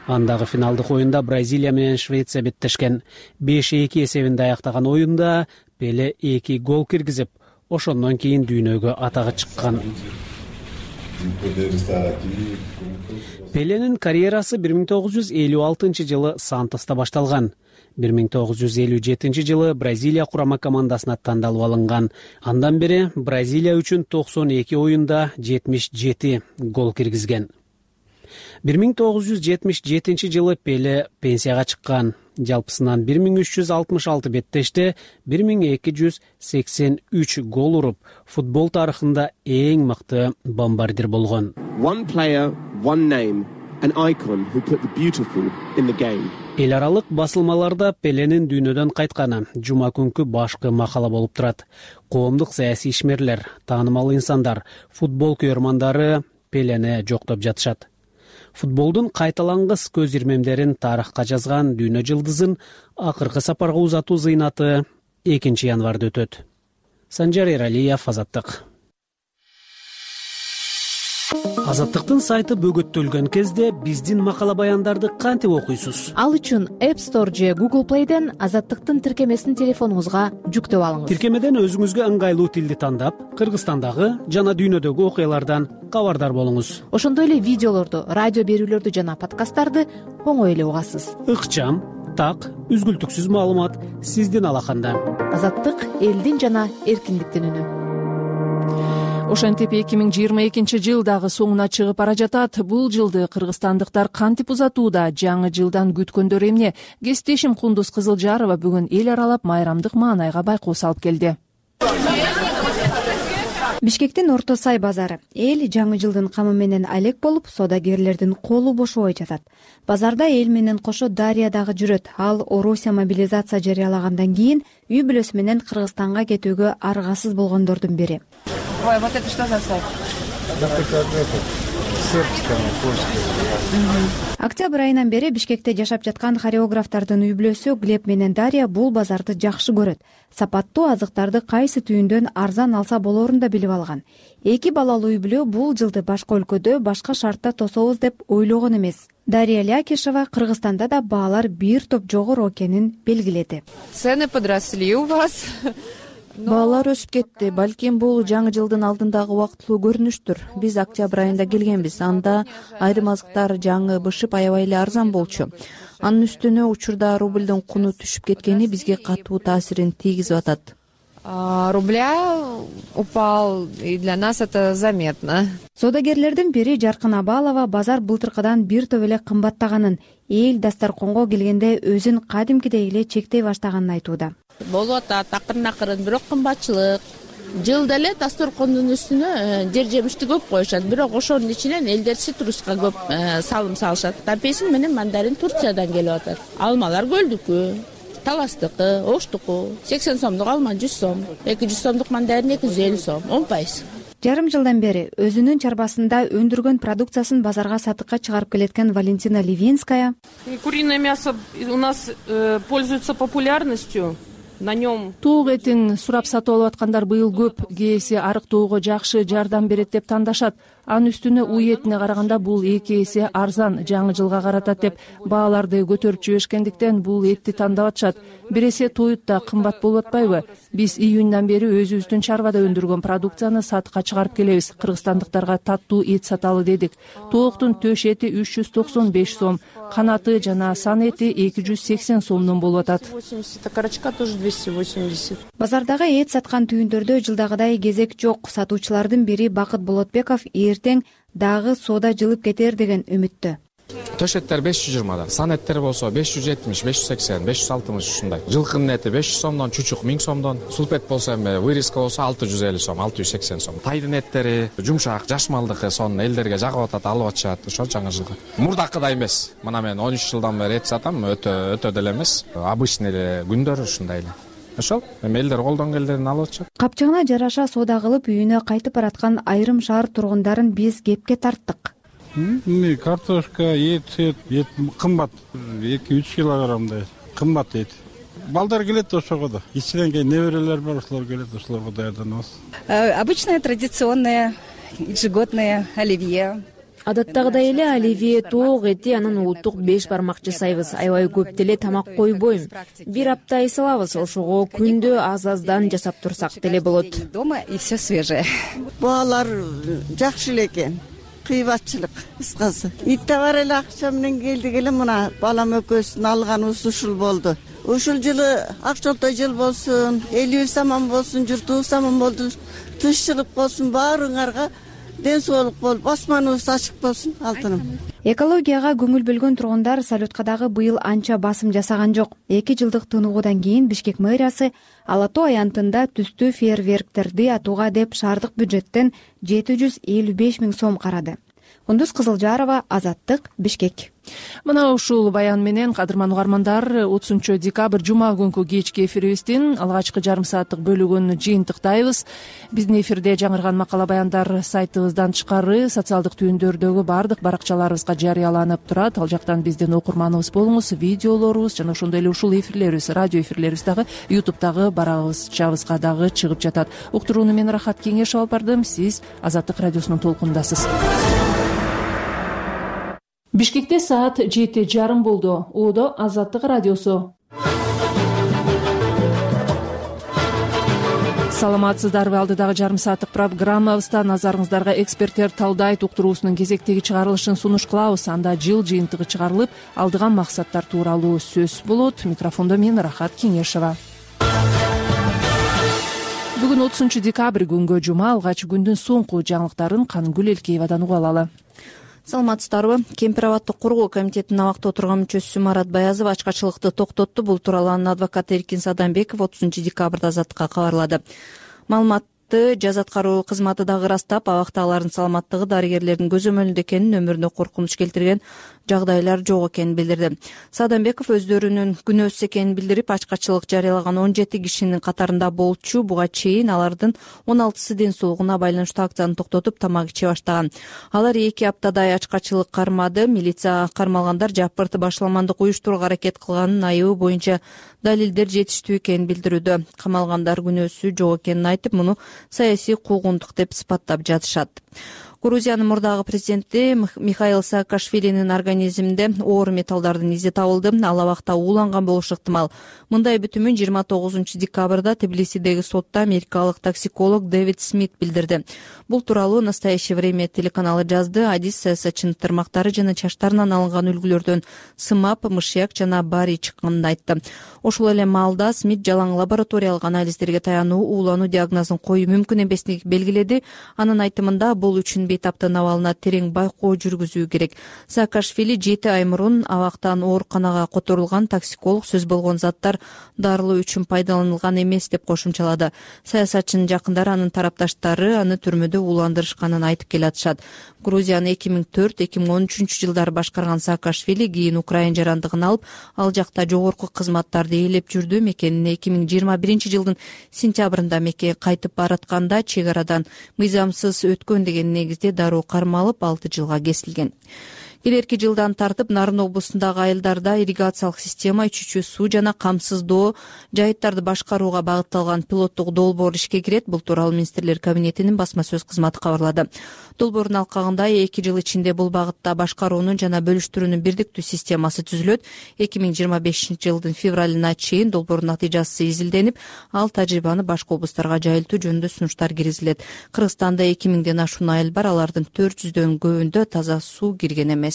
Андагы финалдык оюнда Бразилия менен Швеция беттешкен. 5-2 эсебинде аяктаган оюнда Пеле 2 гол киргизип, ошондон кийин дүйнөгө атагы чыккан. Пеленин карьерасы 1956 жылы Сантоста башталган. 1957 жылы Бразилия курама командасына тандалып алынган. Андан бери Бразилия үчүн 92 оюнда 77 гол киргизген. 1977 жылы Пеле пенсияга чыккан. Жалпысынан 1366 беттеште 1283 гол уруп, футбол тарыхында эң мыкты бомбардир болгон. One player, one name, an icon who put the beautiful in the game. Эл аралык басылмаларда Пеленин дүйнөдөн кайтканы жума күнкү башкы макала болуп турат. Коомдук саясий ишмерлер, таанымал инсандар, футбол көрөрмандары Пелени жоктоп жатышат. Футболдун кайталангыс көз ирмемдерин тарыхка жазган дүйнө жылдызын акыркы сапарга узатуу зыйнаты 2 январда өтөт. Санжар Эралиев, Азаттык. Азаттыктын сайты бөгөттөлгөн кезде биздин макала баяндарды кантип окуйсуз? Ал үчүн App Store же Google Play'ден Азаттыктын тиркемесин телефонуңузга жүктөп алыңыз. Тиркемеден өзүңүзгө ыңгайлуу тилди тандап, Кыргызстандагы жана дүйнөдөгү окуялардан кабардар болуңуз. Ошондой эле видеолорду, радио берүүлөрдү жана подкасттарды оңой эле угасыз. Ыкчам, так, үзгүлтүксүз маалымат сиздин алаканда. Азаттык элдин жана эркиндиктин үнү. Ошентип 2022 жыл дагы соңуна чыгып бара жатат. Бул жылды кыргызстандыктар кантип узатууда? Жаңы жылдан күткөндөр эмне? Кесиптешим Кундуз Кызылжарова бүгүн эл аралап майрамдык маанайга байкоо салып келди. Бишкектин Орто Сай базары. Эл жаңы жылдын камы менен алек болуп, соодагерлердин колу бошобой жатат. Базарда эл менен кошо Дарья дагы жүрөт. Ал Орусия мобилизация жарыялагандан кийин үй бүлөсү менен Кыргызстанга кетүүгө аргасыз болгондордун бири. Ой, вот это что за сайт? Октябрь айынан бери Бишкекте жашап жаткан хореографтардын үй бүлөсү Глеб менен Дарья бул базарды жакшы көрөт. Сапаттуу азыктарды кайсы түйүндөн арзан алса болоорун да билип алган. Эки балалуу үй бүлө бул жылды башка өлкөдө, башка шартта тособуз деп ойлогон эмес. Дарья Лякишева Кыргызстанда да баалар бир топ жогору экенин белгиледи. Цены подросли у вас. Баалар өсүп кетти. Балким бул жаңы жылдын алдындагы убактылуу көрүнүштүр. Биз октябрь айында келгенбиз. Анда айрым азыктар жаңы бышып аябай эле арзан болчу. Анын үстүнө учурда рубльдин куну түшүп кеткени бизге катуу таасирин тийгизип атат. Рубля упал, и для нас это заметно. Соодагерлердин бири Жаркын Абалова базар былтыркыдан бир топ эле кымбаттаганын, эл дасторконго келгенде өзүн кадимкидей эле чектей баштаганын айтууда. Болуп атат акырын бирок кымбатчылык. Жылда эле дасторкондун үстүнө жер жемишти көп коюшат, бирок ошонун ичинен элдер цитруска көп салым салышат. Апельсин менен мандарин Турциядан келип атат. Алмалар Көлдүкү, Таластыкы, Оштуку 80 сомдук алма 100 сом, 200 сомдук мандарин 250 сом, 10%. Жарым жылдан бери өзүнүн чарбасында өндүргөн продукциясын базарга сатыкка чыгарып келеткан Валентина Ливинская. Куриное мясо у нас пользуется популярностью. Тоок этин сурап сатып алып аткандар быйыл көп. Кээси арыктоого жакшы жардам берет деп тандашат. Анын үстүнө уй этине караганда бул 2 эсе арзан, жаңы жылга каратат деп бааларды көтөрүп жиберишкендиктен бул этти тандап атышат. Бир эсе тоют да кымбат болуп атпайбы? Биз июндан бери өзүбүздүн чарбада өндүргөн продукцияны сатыкка чыгарып келебиз. Кыргызстандыктарга таттуу эт саталы дедик. Тооктун төш эти 395 сом, канаты жана сан эти 280 сомдон болуп атат. 80, карачка тоже 280. Базардагы эт саткан түйүндөрдө жылдагыдай кезек жок. Сатуучулардын бири Бакыт Болотбеков эртең дагы соода жылып кетер деген үмүттө. Төш эттер 520, сан эттер болсо 570, 580, 560 ушундай. Жылкынын эти 500 сомдон, чучук 1000 сомдон, сулпет болсо эми вырезка болсо 650 сом, 680 сом. Тайдын эттери жумшак, жаш малдыкы сонун элдерге жагып атат, алып атышат ошо жаңы жылга. Мурдакыдай эмес. Мына мен 13 жылдан бери эт сатам, өтө деле эмес. Обычный эле күндөр ушундай эле. Ошол эми элдер колдон келдерин алып атышат. Капчыгына жараша соода кылып үйүнө кайтып бараткан айрым шаар тургундарын биз кепке тарттык. Картошка, ет кымбат, 2-3 килограммдай кымбат эт. Балдар келет ошого да. Ичинен кийин неберелер бар, ошолор келет, ошолорго даярданабыз. Обычное традиционное ежегодное оливье. Адаттагыдай эле оливье, тоок эти, анан улуттук 5 бармак жасайбыз. Аябай көп деле тамак койбойм. Бир апта ай салабыз, ошого күндө аз-аздан жасап турсак деле болот. Дома и все свежее. Баалар жакшы эле экен. Кыйбатчылык кыскасы. Итте бар эле акча менен келдик эле, мына балам экөөбүздүн алганыбыз ушул болду. Ушул жылы акчолтой жыл болсун, элибиз аман болсун, журтубуз аман болду, тынччылык болсун, баарыңарга ден соолук болуп, асманыбыз ачык болсун, алтыным. Экологияга көңүл бөлгөн тургундар салюткка дагы быйыл анча басым жасаган жок. 2 жылдык тыныгуудан кийин Бишкек мэриясы Ала Тоо аянтында түстүү фейерверктерди атууга деп шаардык бюджеттен 755 000 сом карады. Кундуз Кызылжарова, Азаттык, Бишкек. Мына ушул баян менен кадырман угармандар 30 декабрь жума күнкү кечки эфирибиздин алгачкы жарым сааттык бөлүгүн жыйынтыктайбыз. Биздин эфирде жаңырган макала баяндар сайтыбыздан тышкары социалдык түйүндөрдөгү баардык баракчаларыбызга жарыяланып турат. Ал жактан биздин окурманыбыз болуңуз, видеолорубуз жана ошондой эле ушул эфирлерибиз, радио эфирлерибиз дагы YouTube'дагы баракчабызга дагы чыгып жатат. Уктурууну мен Рахат Кеңешов алып бардым. Сиз Азаттык радиосунун толкунундасыз. Бишкекте саат 7:30 болду. Оодо Азаттык радиосу. Саламатсыздарбы? Алдыдагы жарым сааттык программабызда назарыңыздарга эксперттер талдайт уктуруусунун кезектеги чыгарылышын сунуш кылабыз. Анда жыл жыйынтыгы чыгарылып, алдыган максаттар тууралуу сөз болот. Микрофондо мен Рахат Кеңешова. Бүгүн 30 декабрь күнгө жума, алгач күндүн соңку жаңылыктарын Кангүл Элкеевадан угуп алалы. Саламатсыздарбы? Кемпир абаддык коргоо комитетинин абакта отурган мүчөсү Марат Баязов ачкачылыкты токтотту. Бул тууралуу анын адвокаты Эркин Садамбеков 30 декабрда Азаттыкка кабарлады. Маалыматты жаз аткаруу кызматы дагы ырастап, абактагылардын саламаттыгы дарыгерлердин көзөмөлүндө экенин, өмүрүнө коркунуч келтирген жагдайлар жок экенин билдирди. Садамбеков өздөрүнүн күнөөсүз экенин билдирип, ачкачылык жарыялаган 17 кишинин катарында болчу. Буга чейин алардын 16сы ден соолугуна байланыштуу акцияны токтотуп, тамак иче баштаган. Алар 2 аптадай ачкачылык кармады. Милиция кармалгандар жапырт башламандык уюштурууга аракет кылганын, айыбы боюнча далилдер жетиштүү экенин билдирүүдө. Камалгандар күнөөсү жок экенин айтып, муну саясий куугунтук деп сыпаттап жатышат. Грузиянын мурдагы президенти Михаил Саакашвилинин организминде оор металлдардын изи табылды. Ал абакта ууланган болушу ыктымал. Мындай бүтүмүн 29 декабрда Тбилисидеги сотто америкалык токсиколог Дэвид Смит билдирди. Бул тууралуу «Настоящее время» телеканалы жазды. Адис саясатчынын тырмактары жана чачтарынан алынган үлгүлөрдөн сымап, мышьяк жана барий чыкканын айтты. Ошол эле маалда Смит жалаң лабораториялык анализдерге таянуу уулануу диагнозун коюу мүмкүн эместигин белгиледи. Анын айтымында бул үчүн бейтаптын абалына терең байкоо жүргүзүү керек. Саакашвили 7 ай мурун абактан ооруканага которулган. Токсиколог сөз болгон заттар дарылоо үчүн пайдаланылган эмес деп кошумчалады. Саясатчынын жакындары, анын тарапташтары аны түрмөдө ууландырышканын айтып келатышат. Грузияны 2004-2013 жылдары башкарган Саакашвили кийин Украина жарандыгын алып, ал жакта жогорку кызматтарды ээлеп жүрдү. Мекенине 2021 жылдын сентябрында меке кайтып баратканда чек арадан мыйзамсыз өткөн деген негизде дароо кармалып 6 жылга кесилген. Келерки жылдан тартып Нарын облусундагы айылдарда ирригациялык система, ичүүчү суу жана камсыздоо жайыттарды башкарууга багытталган пилоттук долбоор ишке кирет. Бул тууралуу Министрлер кабинетинин басма сөз кызматы кабарлады. Долбоордун алкагында 2 жыл ичинде бул багытта башкаруунун жана бөлүштүрүүнүн бирдиктүү системасы түзүлөт. 2025 жылдын февралына чейин долбоордун натыйжасы изилденип, ал тажрыйбаны башка облустарга жайылтуу жөнүндө сунуштар киргизилет. Кыргызстанда 2000ден ашуун айыл бар, алардын 400дөн көбүндө таза суу кирген эмес.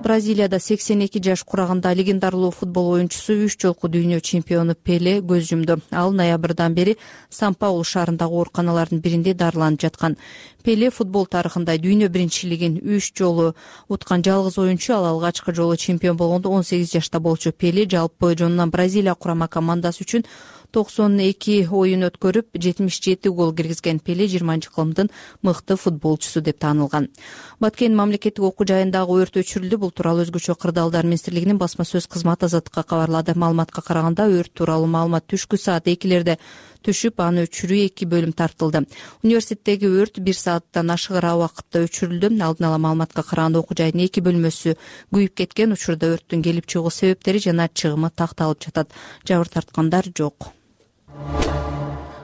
Бразилияда 82 жаш кураганда легендарлуу футбол оюнчусу 3 жолку дүйнө чемпиону Пеле көз жумду. Ал ноябрдан бери Сан-Паулу шаарындагы ооруканалардын биринде дарыланып жаткан. Пеле футбол тарыхында дүйнө биринчилигин 3 жолу уткан жалгыз оюнчу. Ал алгачкы жолу чемпион болгондо 18 жашта болчу. Пеле жалпы жонунан Бразилия курама командасы үчүн 92 оюн өткөрүп, 77 гол киргизген. Пеле 20-кылымдын мыкты футболчусу деп таанылган. Баткен мамлекеттик окуу жайындагы өрт өчүрүлдү. Бул тууралуу өзгөчө кырдаалдар министрлигинин басма сөз кызматы Азаттыкка кабарлады. Маалыматка караганда, өрт тууралуу маалымат түшкү саат 2-лерде түшүп, аны өчүрүү 2 бөлүм тартылды. Университеттеги өрт 1 сааттан ашыгыраак убакытта өчүрүлдү. Алдын ала маалыматка караганда, окуу жайдын 2 бөлмөсү күйүп кеткен. Учурда өрттүн келип чыгуу себептери жана чыгымы такталып жатат. Жабыр тарткандар жок.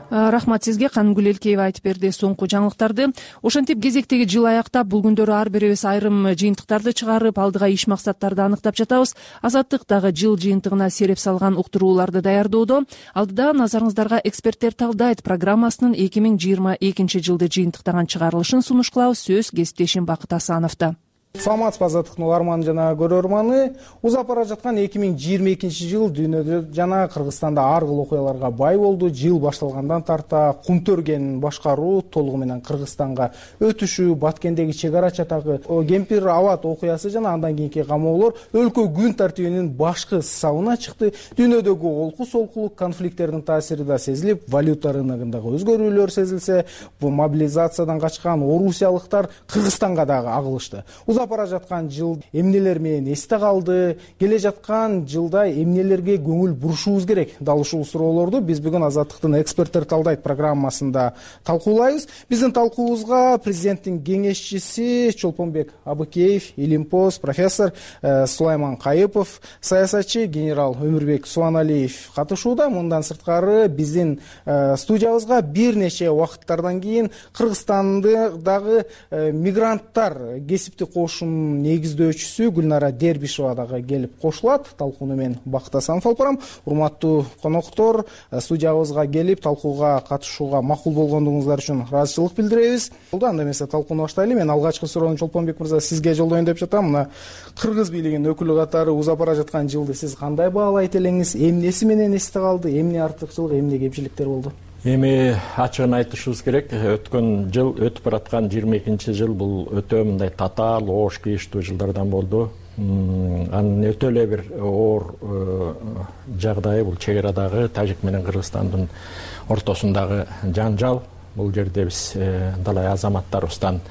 Рахмат сизге. Кангүл Элкеева айтып берди соңку жаңылыктарды. Ошентип кезектеги жыл аяктап, бул күндөрү ар бирибиз айрым жыйынтыктарды чыгарып, алдыга иш максаттарды аныктап жатабыз. Азаттык дагы жыл жыйынтыгына сереп салган уктурууларды даярдоодо. Алдыда назарыңыздарга эксперттер талдайт программасынын 2022 жылды жыйынтыктаган чыгарылышын сунуш кылабыз. Сөз кесиптешим Бакыт Асановдо. Саламатсызбы Азаттыктын угарманы жана көрөрманы. Узап бара жаткан 2022 жыл дүйнөдө жана Кыргызстанда ар кыл окуяларга бай болду. Жыл башталгандан тарта Кумтөргенин башкаруу, толугу менен Кыргызстанга өтүшү, Баткендеги чек ара чатагы Кемпир абад окуясы жана андан кийинки камоолор өлкө күн тартибинин башкы сабына чыкты. Дүйнөдөгү олку-солкулук конфликттердин таасири да сезилип, валюта рыногундагы өзгөрүүлөр сезилсе, бул мобилизациядан качкан орусиялыктар Кыргызстанга дагы агылышты. Узап узап бара жаткан жыл эмнелер менен эсте калды, келе жаткан жылда эмнелерге көңүл бурушубуз керек? Дал ушул суроолорду биз бүгүн Азаттыктын эксперттер талдайт программасында талкуулайбыз. Биздин талкуубузга президенттин кеңешчиси Чолпонбек Абыкеев, Илимпоз профессор Сулайман Кайыпов, саясатчы генерал Өмүрбек Субаналиев катышууда. Мындан сырткары биздин студиябызга бир нече убакыттардан кийин Кыргызстандагы мигранттар кесипти коошунун негиздөөчүсү Гүлнара Дербишева дагы келип кошулат. Талкууну мен Бакыт Асанов алып барам. Урматтуу коноктор, студиябызга келип талкууга катышууга макул болгондугуңуздар үчүн ыраазычылык билдиребиз. Анда эмесе талкууну баштайлы. Мен алгачкы суроону Чолпонбек мырза сизге жолдоюн деп жатам. Мына кыргыз бийлигинин өкүлү катары узап бара жаткан жылды сиз кандай баалайт элеңиз? Эмнеси менен эсте калды? Эмне артыкчылык, эмне кемчиликтер болду? Эми ачыгын айтышыбыз керек. Өткөн жыл, өтүп бараткан 22-жыл бул өтө мындай татаал, оош кийиштүү жылдардан болду. Анын өтө эле бир оор жагдайы бул чек арадагы Тажик менен Кыргызстандын ортосундагы жанжал. Бул жерде биз далай азаматтарыбыздан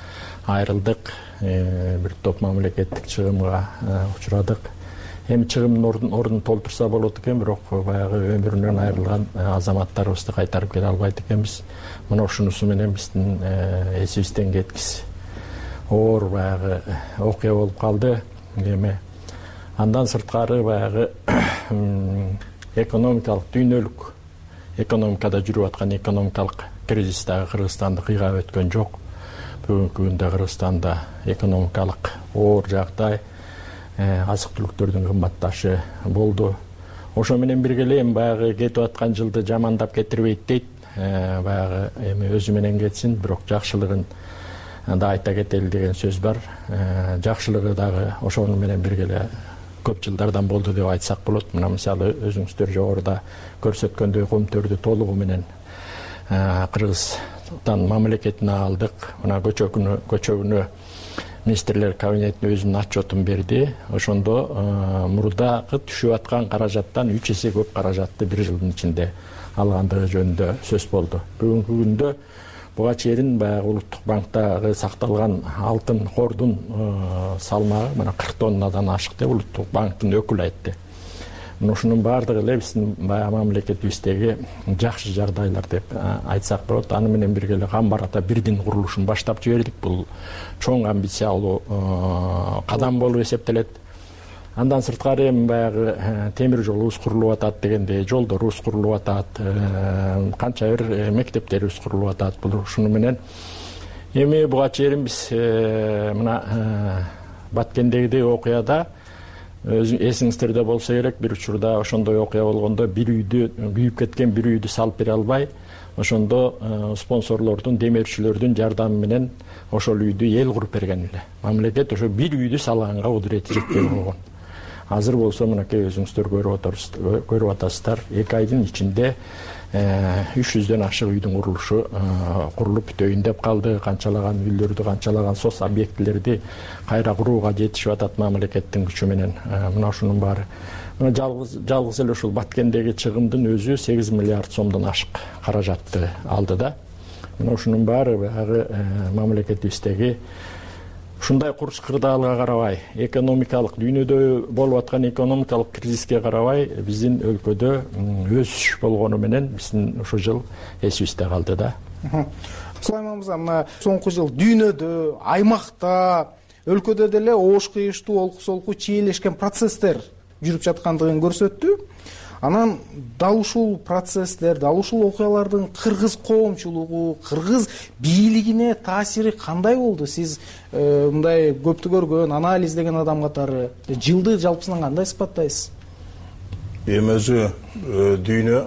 айрылдык, бир топ мамлекеттик чыгымга учурадык. Эми чыгымдын ордун толтурса болот экен, бирок баягы өмүрүнөн айрылган азаматтарыбызды кайтарып келе албайт экенбиз. Мына ушунусу менен биздин эсибизден кеткис оор баягы окуя болуп калды. Эми андан сырткары баягы экономикалык дүйнөлүк экономикада жүрүп аткан экономикалык кризис дагы Кыргызстанды кыйгап өткөн жок. Бүгүнкү күндө Кыргызстанда экономикалык оор жагдай, азык түлүктөрдүн кымбатташы болду. Ошо менен бирге эле эми баягы кетип аткан жылды жамандап кетирбейт дейт. Баягы эми өзү менен кетсин, бирок жакшылыгын да айта кетели деген сөз бар. Жакшылыгы дагы ошону менен бирге эле көп жылдардан болду деп айтсак болот. Мына мисалы өзүңүздөр жогоруда көрсөткөндөй комтөрдү толугу менен Кыргызстан мамлекетине алдык. Мына көчөгүнө министрлер кабинетине өзүнүн отчетун берди. Ошондо мурдагы түшүп аткан каражаттан 3 эсе көп каражатты бир жылдын ичинде алгандыгы жөнүндө сөз болду. Бүгүнкү күндө буга чейин баягы Улуттук банктагы сакталган алтын кордун салмагы мына 40 тоннадан ашык деп Улуттук банктын өкүлү айтты. Мына ушунун баардыгы эле биздин баягы мамлекетибиздеги жакшы жагдайлар деп айтсак болот. Аны менен бирге эле Камбар ата бирдин курулушун баштап жибердик. Бул чоң амбициялуу кадам болуп эсептелет. Андан сырткары эми баягы темир жолубуз курулуп атат дегендей, жолдорубуз курулуп атат, канча бир мектептерибиз курулуп атат. Бул ушуну менен эми буга чейин биз мына Баткендеги окуяда эсиңиздерде болсо керек, бир учурда ошондой окуя болгондо бир үйдү күйүп кеткен бир үйдү салып бере албай, ошондо спонсорлордун, демеушчүлөрдүн жардамы менен ошол үйдү эл куруп берген эле. Мамлекет ошо бир үйдү салганга кудурети жетпей койгон. Азыр болсо мынакей өзүңүздөр көрүп атасыздар, 2 айдын ичинде 300дөн ашык үйдүн курулушу курулуп бүтөйүн деп калды. Канчалаган үйлөрдү, канчалаган соц объектилерди кайра курууга жетишип атат мамлекеттин күчү менен. Мына ушунун баары жалгыз эле ушул Баткендеги чыгымдын өзү 8 миллиард сомдон ашык каражатты алды да. Мына ушунун баары баягы мамлекетибиздеги ушундай курч кырдаалга карабай, экономикалык дүйнөдө болуп аткан экономикалык кризиске карабай, биздин өлкөдө өсүш болгону менен биздин ушул жыл эсибизде калды да. Сулайман мырза, мына соңку жыл дүйнөдө, аймакта, өлкөдө деле оош кыйыштуу, олку-солку чийлешкен процесстер жүрүп жаткандыгын көрсөттү. Анан дал ушул процесстер, дал ушул окуялардын кыргыз коомчулугу, кыргыз бийлигине таасири кандай болду? Сиз мындай көптү көргөн, анализдеген адам катары жылды жалпысынан кандай сыпаттайсыз? Эми өзү дүйнө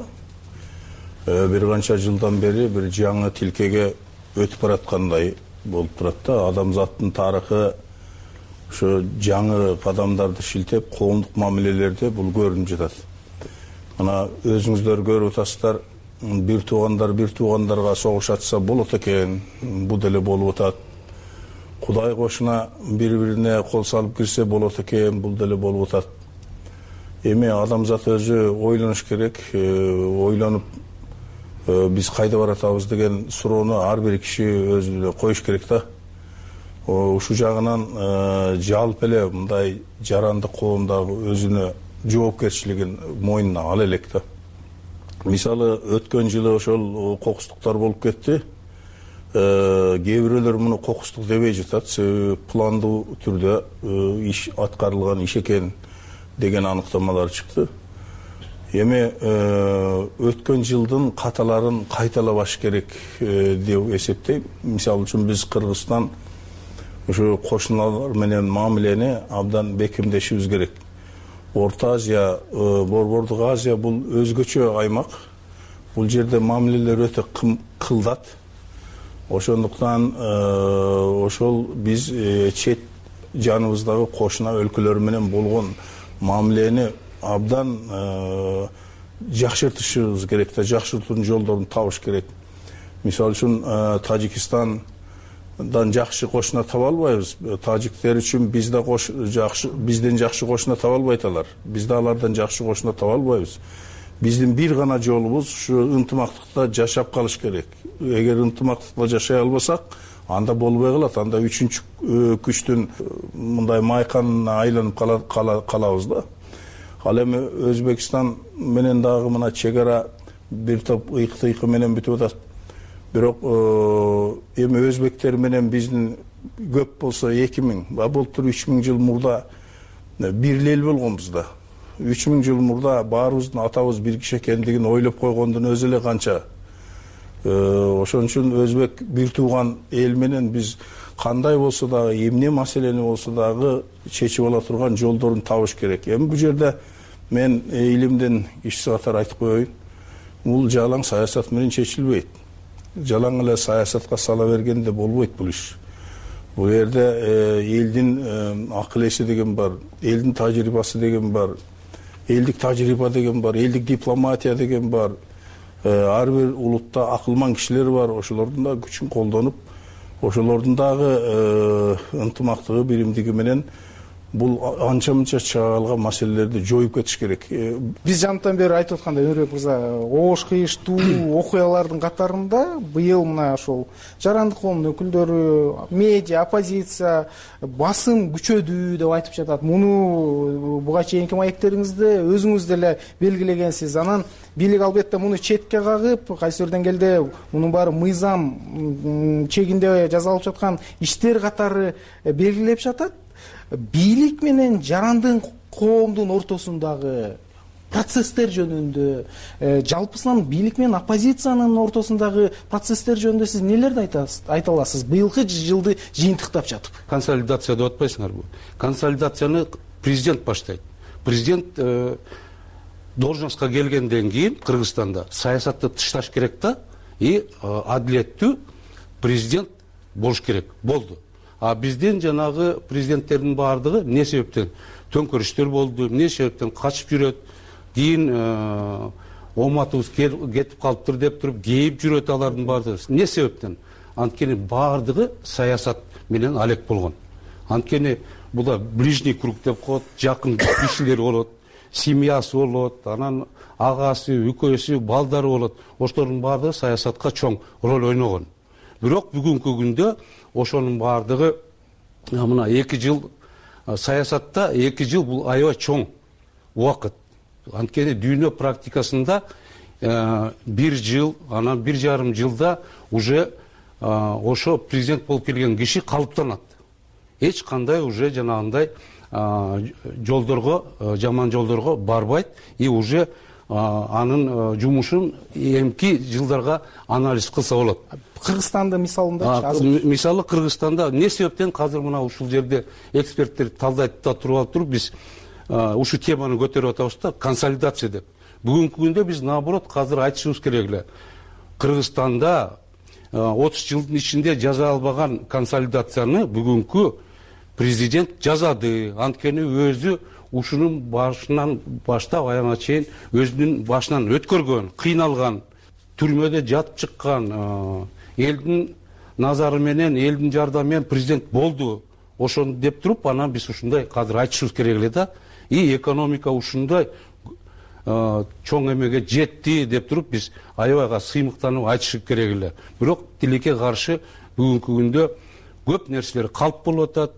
бир канча жылдан бери бир жаңы тилкеге өтүп бараткандай болуп турат да. Адамзаттын тарыхы ошо жаңы кадамдарды шилтеп, коомдук мамилелерде бул көрүнүп жатат. Мына өзүңүздөр көрүп атасыздар, бир туугандарга согуш ачса болот экен, бул деле болуп атат. Кудай кошуна бири-бирине кол салып кирсе болот экен, бул деле болуп атат. Эми адамзат өзү ойлонуш керек, ойлонуп биз кайда баратабыз деген суроону ар бир киши өзү эле коюш керек да. ушул жагынан жалпы эле мындай жарандык коомдагы өзүнө жоопкерчилигин мойнуна ала элек да. Мисалы өткөн жылы ошол кокустуктар болуп кетти. Кээ бирөөлөр муну кокустук дебей жатат, себеби пландуу түрдө иш аткарылган иш экен деген аныктамалар чыкты. Эми өткөн жылдын каталарын кайталабаш керек деп эсептейм. Мисалы үчүн биз Кыргызстан ошо кошуналар менен мамилени абдан бекемдешибиз керек. Орто Азия, Борбордук Азия бул өзгөчө аймак. Бул жерде мамилелер өтө кылдат. Ошондуктан ошол биз чет жаныбыздагы кошуна өлкөлөр менен болгон мамилени абдан жакшыртышыбыз керек да, жакшыртуунун жолдорун табыш керек. Мисалы үчүн Тажикстандан жакшы кошуна таба албайбыз. Тажиктер үчүн биз да бизден жакшы кошуна таба албайт алар. Биз да алардан жакшы кошуна таба албайбыз. Биздин бир гана жолубуз ушу ынтымактыкта жашап калыш керек. Эгер ынтымактыкта жашай албасак, анда болбой калат. Анда үчүнчү күчтүн мындай майканына айланып калабыз да. Ал эми Өзбекстан менен дагы мына чек ара бир топ ыйык-тыйкы менен бүтүп атат. Бирок эми өзбектер менен биздин көп болсо 2000, былтыр 3000 жыл мурда бир эл болгонбуз да. 3000 жыл мурда баарыбыздын атабыз бир киши экендигин ойлоп койгондун өзү эле канча. Ошон үчүн өзбек бир тууган эл менен биз кандай болсо дагы, эмне маселени болсо дагы чечип ала турган жолдорун табыш керек. Эми бул жерде мен илимден кишиси катары айтып коеюн. Бул жалаң саясат менен чечилбейт. Жалаң эле саясатка сала бергенде болбойт бул иш. Бул жерде элдин акыл эси деген бар, элдин тажрыйбасы деген бар, элдик тажрыйба деген бар, элдик дипломатия деген бар. Ар бир улутта акылман кишилер бар, ошолордун да күчүн колдонуп, ошолордун дагы ынтымактыгы, биримдиги менен бул анча-мынча чыга калган маселелерди жоюп кетиш керек. Биз жанаттан бери айтып аткандай, Өнөрбек мырза, оош кыйыштуу окуялардын катарында быйыл мына ошол жарандык коомдун өкүлдөрү, медиа, оппозиция, басым күчөдү деп айтып жатат. Муну буга чейинки маектериңизде өзүңүз деле белгилегенсиз. Анан бийлик албетте муну четке кагып, кайсы бир деңгээлде мунун баары мыйзам чегинде жасалып жаткан иштер катары белгилеп жатат. Бийлик менен жарандык коомдун ортосундагы процесстер жөнүндө, жалпысынан бийлик менен оппозициянын ортосундагы процесстер жөнүндө сиз нелерди айта аласыз? Быйылкы жылды жыйынтыктап жатып. Консолидация деп атпайсыңарбы? Консолидацияны президент баштайт. Президент должностька келгенден кийин Кыргызстанда саясатты тышташ керек да, и адилеттүү президент болуш керек. Болду. А биздин жанагы президенттердин баардыгы эмне себептен төңкөрүштөр болду, эмне себептен качып жүрөт, кийин ооматыбыз кетип калыптыр деп туруп кейип жүрөт алардын баардыгы. Эмне себептен? Анткени баардыгы саясат менен алек болгон. Анткени бул ближний круг деп коет, жакын кишилер болот, семьясы болот, анан агасы, үкөсү, балдары болот. Ошолордун баардыгы саясатка чоң роль ойногон. Бирок бүгүнкү күндө ошонун баардыгы мына 2 жыл саясатта 2 жыл бул аябай чоң убакыт. Анткени дүйнө практикасында 1 жыл, анан 1,5 жылда уже ошо президент болуп келген киши калыптанат. Эч кандай уже жанагындай жолдорго, жаман жолдорго барбайт и уже анын жумушун эмки жылдарга анализ кылса болот. Кыргызстанда мисалында мисалы Кыргызстанда эмне себептен азыр мына ушул жерде эксперттер талдайт да туруп биз ушул теманы көтөрүп атабыз да, консолидация деп. Бүгүнкү күндө биз наоборот азыр айтышыбыз керек эле. Кыргызстанда 30 жылдын ичинде жаза албаган консолидацияны бүгүнкү президент жазады. Анткени өзү ушунун башынан баштап аягына чейин өзүнүн башынан өткөргөн, кыйналган, түрмөдө жатып чыккан, элдин назары менен, элдин жардамы менен президент болду. Ошону деп туруп, анан биз ушундай азыр айтышыбыз керек эле да. И экономика ушундай чоң эмеге жетти деп туруп биз аябайга сыймыктанып айтышыбыз керек эле. Бирок тилекке каршы бүгүнкү күндө көп нерселер калп болуп атат.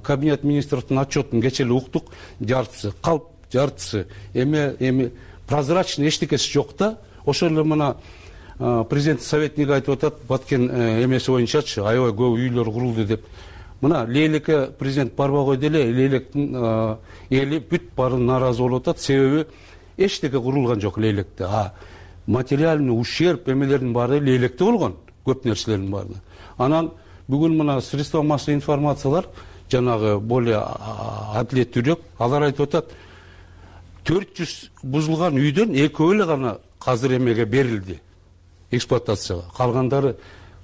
Кабинет министрликтин отчетун кече эле уктук, жартысы калп, жартысы эми прозрачный эчтекеси жок да. Ошол эле мына президент советниги айтып атат, Баткен эмеси боюнчачы аябай көп үйлөр курулду деп. Мына Лейлекке президент барбай койду эле, Лейлектин эли бүт баары нааразы болуп атат, себеби эчтеке курулган жок Лейлекте. Материальный ущерб эмелердин баары Лейлекте болгон, көп нерселердин баары. Анан бүгүн мына средства массовой информациялар жанагы более адилеттүүрөөк, алар айтып атат, 400 бузулган үйдөн 2 эле гана азыр эмеге берилди, эксплуатацияга. Калгандары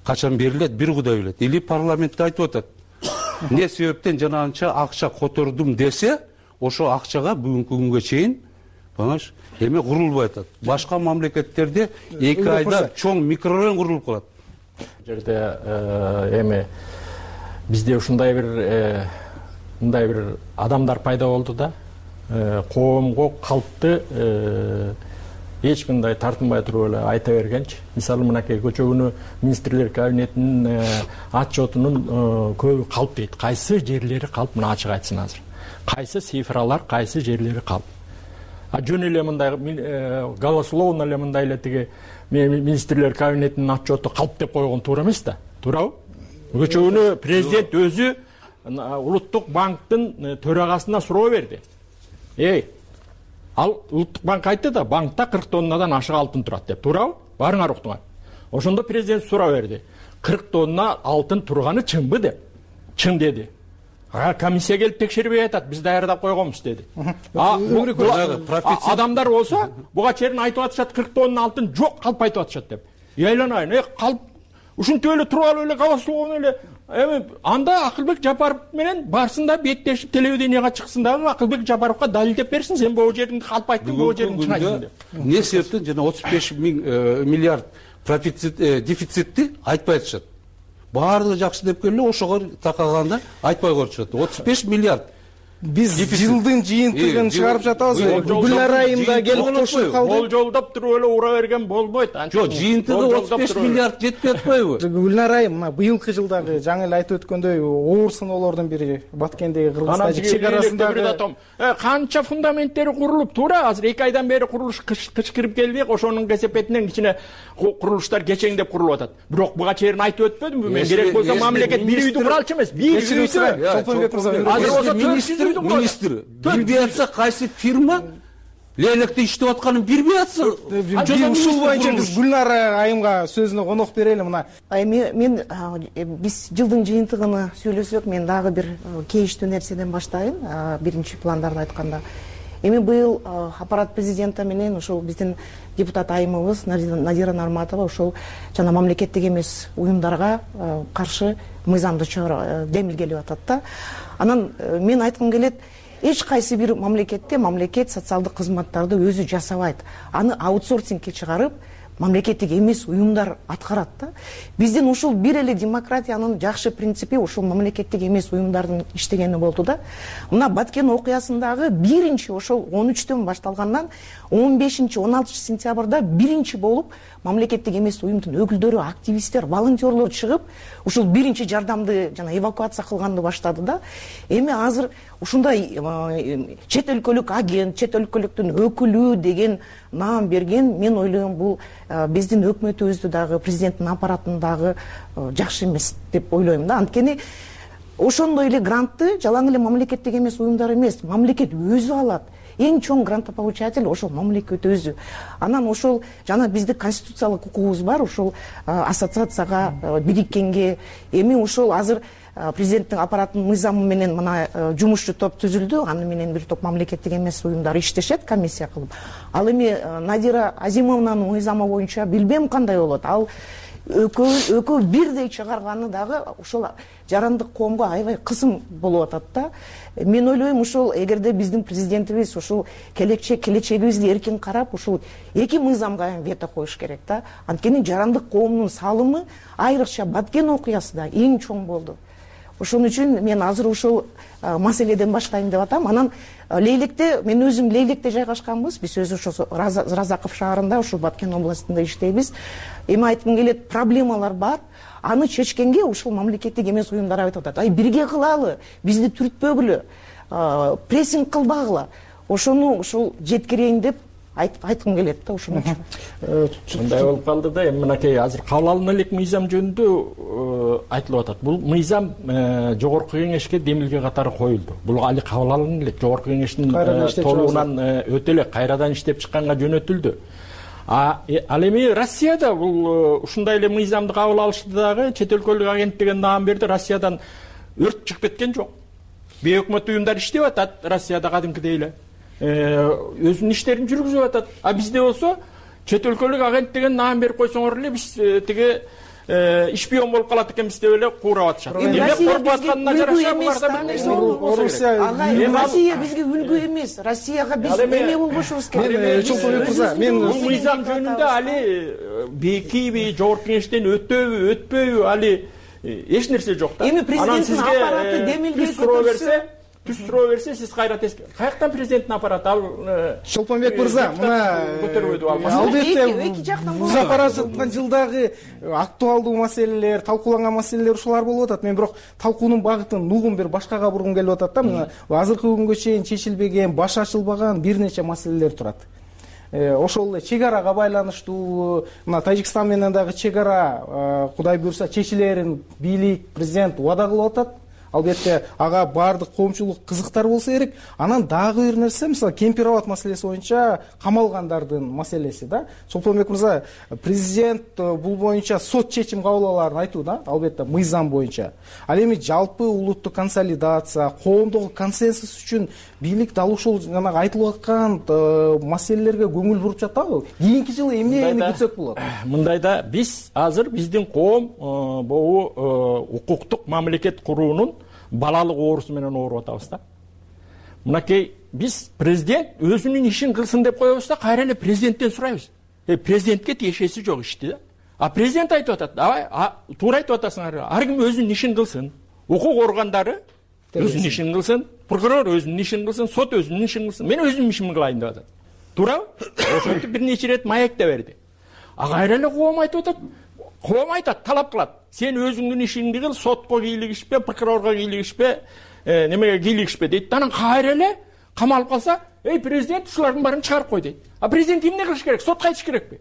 качан берилет, бир Кудай билет. Или парламентте айтып атат, эмне себептен жанагынча акча котордум десе, ошо акчага бүгүнкү күнгө чейин понимаешь, эме курулбай атат. Башка мамлекеттерде 2 айда чоң микрорайон курулуп калат. Жерде эми бизде ушундай бир адамдар пайда болду да, коомго калпты эч кандай тартынбай туруп эле айта бергенчи. Мисалы мынакей көчөгүнү министрлер кабинетинин отчетунун көбү калп дейт. Кайсы жерлери калп, мына ачык айтсын азыр. Кайсы цифралар, кайсы жерлери калп. Жөн эле мындай голословно эле мындай эле тиги министрлер кабинетинин отчету калп деп койгон туура эмес да. Туурабы? Көчөгүнү президент өзү Улуттук банктын төрагасына суроо берди. Ал Улуттук банк айтты да, банкта 40 тоннадан ашык алтын турат деп. Туурабы? Барыңар уктуңар. Ошондо президент суроо берди. 40 тонна алтын турганы чынбы деп. Чын деди. Комиссия келип текшербей атат, биз даярдап койгонбуз деди. Адамдар болсо, буга чейин айтып атышат 40 тонна алтын жок, калп айтып атышат деп. Айланайын, калп ушинтип эле туруп алып эле голословно эле эми анда Акылбек Жапаров менен барсында беттешип телевиденияга чыксын дагы, Акылбек Жапаровго далилдеп берсин, сен бул жердин калп айттың, бул жердин чын айттың деп. Эмне себептен жана 35 миллиард дефицитти айтпай атышат. Баардыгы жакшы деп келе, ошого такаганда айтпай коюшат. 35 миллиард. Биз жылдын жыйынтыгын чыгарып жатабыз. Гүлнар айымда келип кошуп калды. Болжолдоп туруп эле ура берген болбойт. Жок, жыйынтыгы 35 миллиард жетпей атпайбы? Гүлнар айым мына быйылкы жылдагы жаңы эле айтып өткөндөй оор сыноолордун бири Баткендеги Кыргыз-Тажик чек арасындагы канча фундаменттери курулуп, туура азыр 2 айдан бери курулуш кычкырып келди, ошонун кесепетинен кичине курулуштар кечеңдеп курулуп атат. Бирок буга чейин айтып өтпөдүмбү мен, керек болсо мамлекет бир үйдү куралчу эмес, бир үйдү. Азыр Министр билбей атса, кайсы фирма Лейлекте иштеп атканын билбей атса, ушул боюнча биз Гүлнар айымга сөзүнө конок берели. Мына мен биз жылдын жыйынтыгын сүйлөсөк, мен дагы бир кейиштүү нерседен баштайын. Биринчи пландарды айтканда, эми быйыл аппарат президента менен ошол биздин депутат айымыбыз Надира Нарматова ошол жана мамлекеттик эмес уюмдарга каршы мыйзамды демилгелеп атат да. Анан мен айткым келет, эч кайсы бир мамлекетте мамлекет социалдык кызматтарды өзү жасабайт. Аны аутсорсингке чыгарып, мамлекеттик эмес уюмдар аткарат да. Биздин ушул бир эле демократиянын жакшы принципи ушул мамлекеттик эмес уюмдардын иштегени болду да. Мына Баткен окуясындагы биринчи ошол 13-төн башталгандан 15-16 сентябрда биринчи болуп мамлекеттик эмес уюмдун өкүлдөрү, активисттер, волонтерлор чыгып, ушул биринчи жардамды жана эвакуация кылганды баштады да. Эми азыр ушундай чет өлкөлүк агент, чет өлкөлүктүн өкүлү деген наам берген, мен ойлойм бул биздин өкмөтүбүздү дагы, президенттин аппаратын дагы жакшы эмес деп ойлойм да. Анткени ошондой эле грантты жалаң эле мамлекеттик эмес уюмдар эмес, мамлекет өзү алат. Эң чоң грантополучатель ошол мамлекет өзү. Анан ошол жана биздин конституциялык укугубуз бар, ошол ассоциацияга бириккенге. Эми ошол азыр президенттин аппаратынын мыйзамы менен мына жумушчу топ түзүлдү. Аны менен бир топ мамлекеттик эмес уюмдар иштешет комиссия кылып. Ал эми Надира Азимовнанын мыйзамы боюнча билбем кандай болот. Ал экөө бирдей чыгарганы дагы ошол жарандык коомго аябай кысым болуп атат да. Мен ойлойм, ошол эгерде биздин президентибиз ушул келечегибизди эркин карап, ушул эки мыйзамга вето коюш керек да. Анткени жарандык коомдун салымы айрыкча Баткен окуясында эң чоң болду. ошон үчүн мен азыр ушул маселеден баштайм деп атам. Анан Лейлекте, мен өзүм Лейлекте жайгашканбыз. Биз өзү ошо Разаков шаарында, ушул Баткен областында иштейбиз. Эми айткым келет, проблемалар бар. Аны чечкенге ушул мамлекеттик эмес уюмдар айтып атат. Ай, бирге кылалы, бизди түртпөгүлө, прессинг кылбагыла. Ошону ушул жеткирейин деп айткым келет да ушуну. Мындай болуп калды да, эми мынакей азыр кабыл алына элек мыйзам жөнүндө айтылып атат. Бул мыйзам жогорку кеңешке демилге катары коюлду. Бул али кабыл алына элек жогорку кеңештин толугунан өтө элек кайрадан иштеп чыкканга жөнөтүлдү. Ал эми Россияда бул ушундай эле мыйзамды кабыл алышты дагы, чет өлкөлүк агенттиги наам берди. Россиядан өрт чыгып кеткен жок. Бейөкмөт уюмдар иштеп атат Россияда кадимкидей эле. Өзүнүн иштерин жүргүзүп атат. Бизде болсо чет өлкөлүк агенттигин наам берип койсоңор эле биз тиги шпион болуп калат экенбиз деп эле кууруп атышат. Эмне коркуп атканына жараша буларда бир нерсе болсо керек. Россия бизге үлгү эмес. Россияга биз эме болбошубуз керек. Чолпонбек мырза, мен бул мыйзам жөнүндө али бекиби, жогорку кеңештен өтөбү, өтпөйбү, али эч нерсе жок да. Эми президенттин аппараты демилге көтөрсө, түз суроо берсе, сиз кайра теске. Каяктан президенттин аппараты ал Чолпонбек мырза, мына көтөрбөйдү ал. Албетте, муз аппарат жаткан жылдагы актуалдуу маселелер, талкууланган маселелер ушулар болуп атат. Мен бирок талкуунун багытын нугум бир башкага бургум келип атат да. Мына азыркы күнгө чейин чечилбеген, баш ачылбаган бир нече маселелер турат. Ошол эле чек арага байланыштуу, мына Тажикстан менен дагы чек ара Кудай буйрса чечилерин бийлик, президент убада кылып атат. Албетте ага баардык коомчулук кызыктар болсо керек. Анан дагы бир нерсе, мисалы Кемпир-Абад маселеси боюнча камалгандардын маселеси да. Чолпонбек мырза, президент бул боюнча сот чечим кабыл аларын айтууда, албетте мыйзам боюнча. Ал эми жалпы улуттук консолидация, коомдогу консенсус үчүн бийлик дал ушул жанагы айтылып аткан маселелерге көңүл буруп жатабы? Кийинки жылы эмнени күтсөк болот? Мындайда биз азыр биздин коом бул укуктук мамлекет куруунун балалык оорусу менен ооруп атабыз да. Мынакей биз президент өзүнүн ишин кылсын деп коебуз да, кайра эле президенттен сурайбыз. Президентке тиешеси жок ишти да. Президент айтып атат, давай, туура айтып атасыңар. Ар ким өзүнүн ишин кылсын. Укук органдары өзүнүн ишин кылсын, прокурор өзүнүн ишин кылсын, сот өзүнүн ишин кылсын. Мен өзүмдүн ишимди кылайын деп атат. Туурабы? Ошентип бир нече ирет маекте берди. Кайра эле коом айтып атат. Коом айтат, талап кылат. Сен өзүңдүн ишиңди кыл, сотко кийлигишпе, прокурорго кийлигишпе, немеге кийлигишпе дейт. Анан кайра эле камалып калса, президент ушулардын баарын чыгарып кой дейт. Президент эмне кылыш керек? Сотко айтыш керекпи?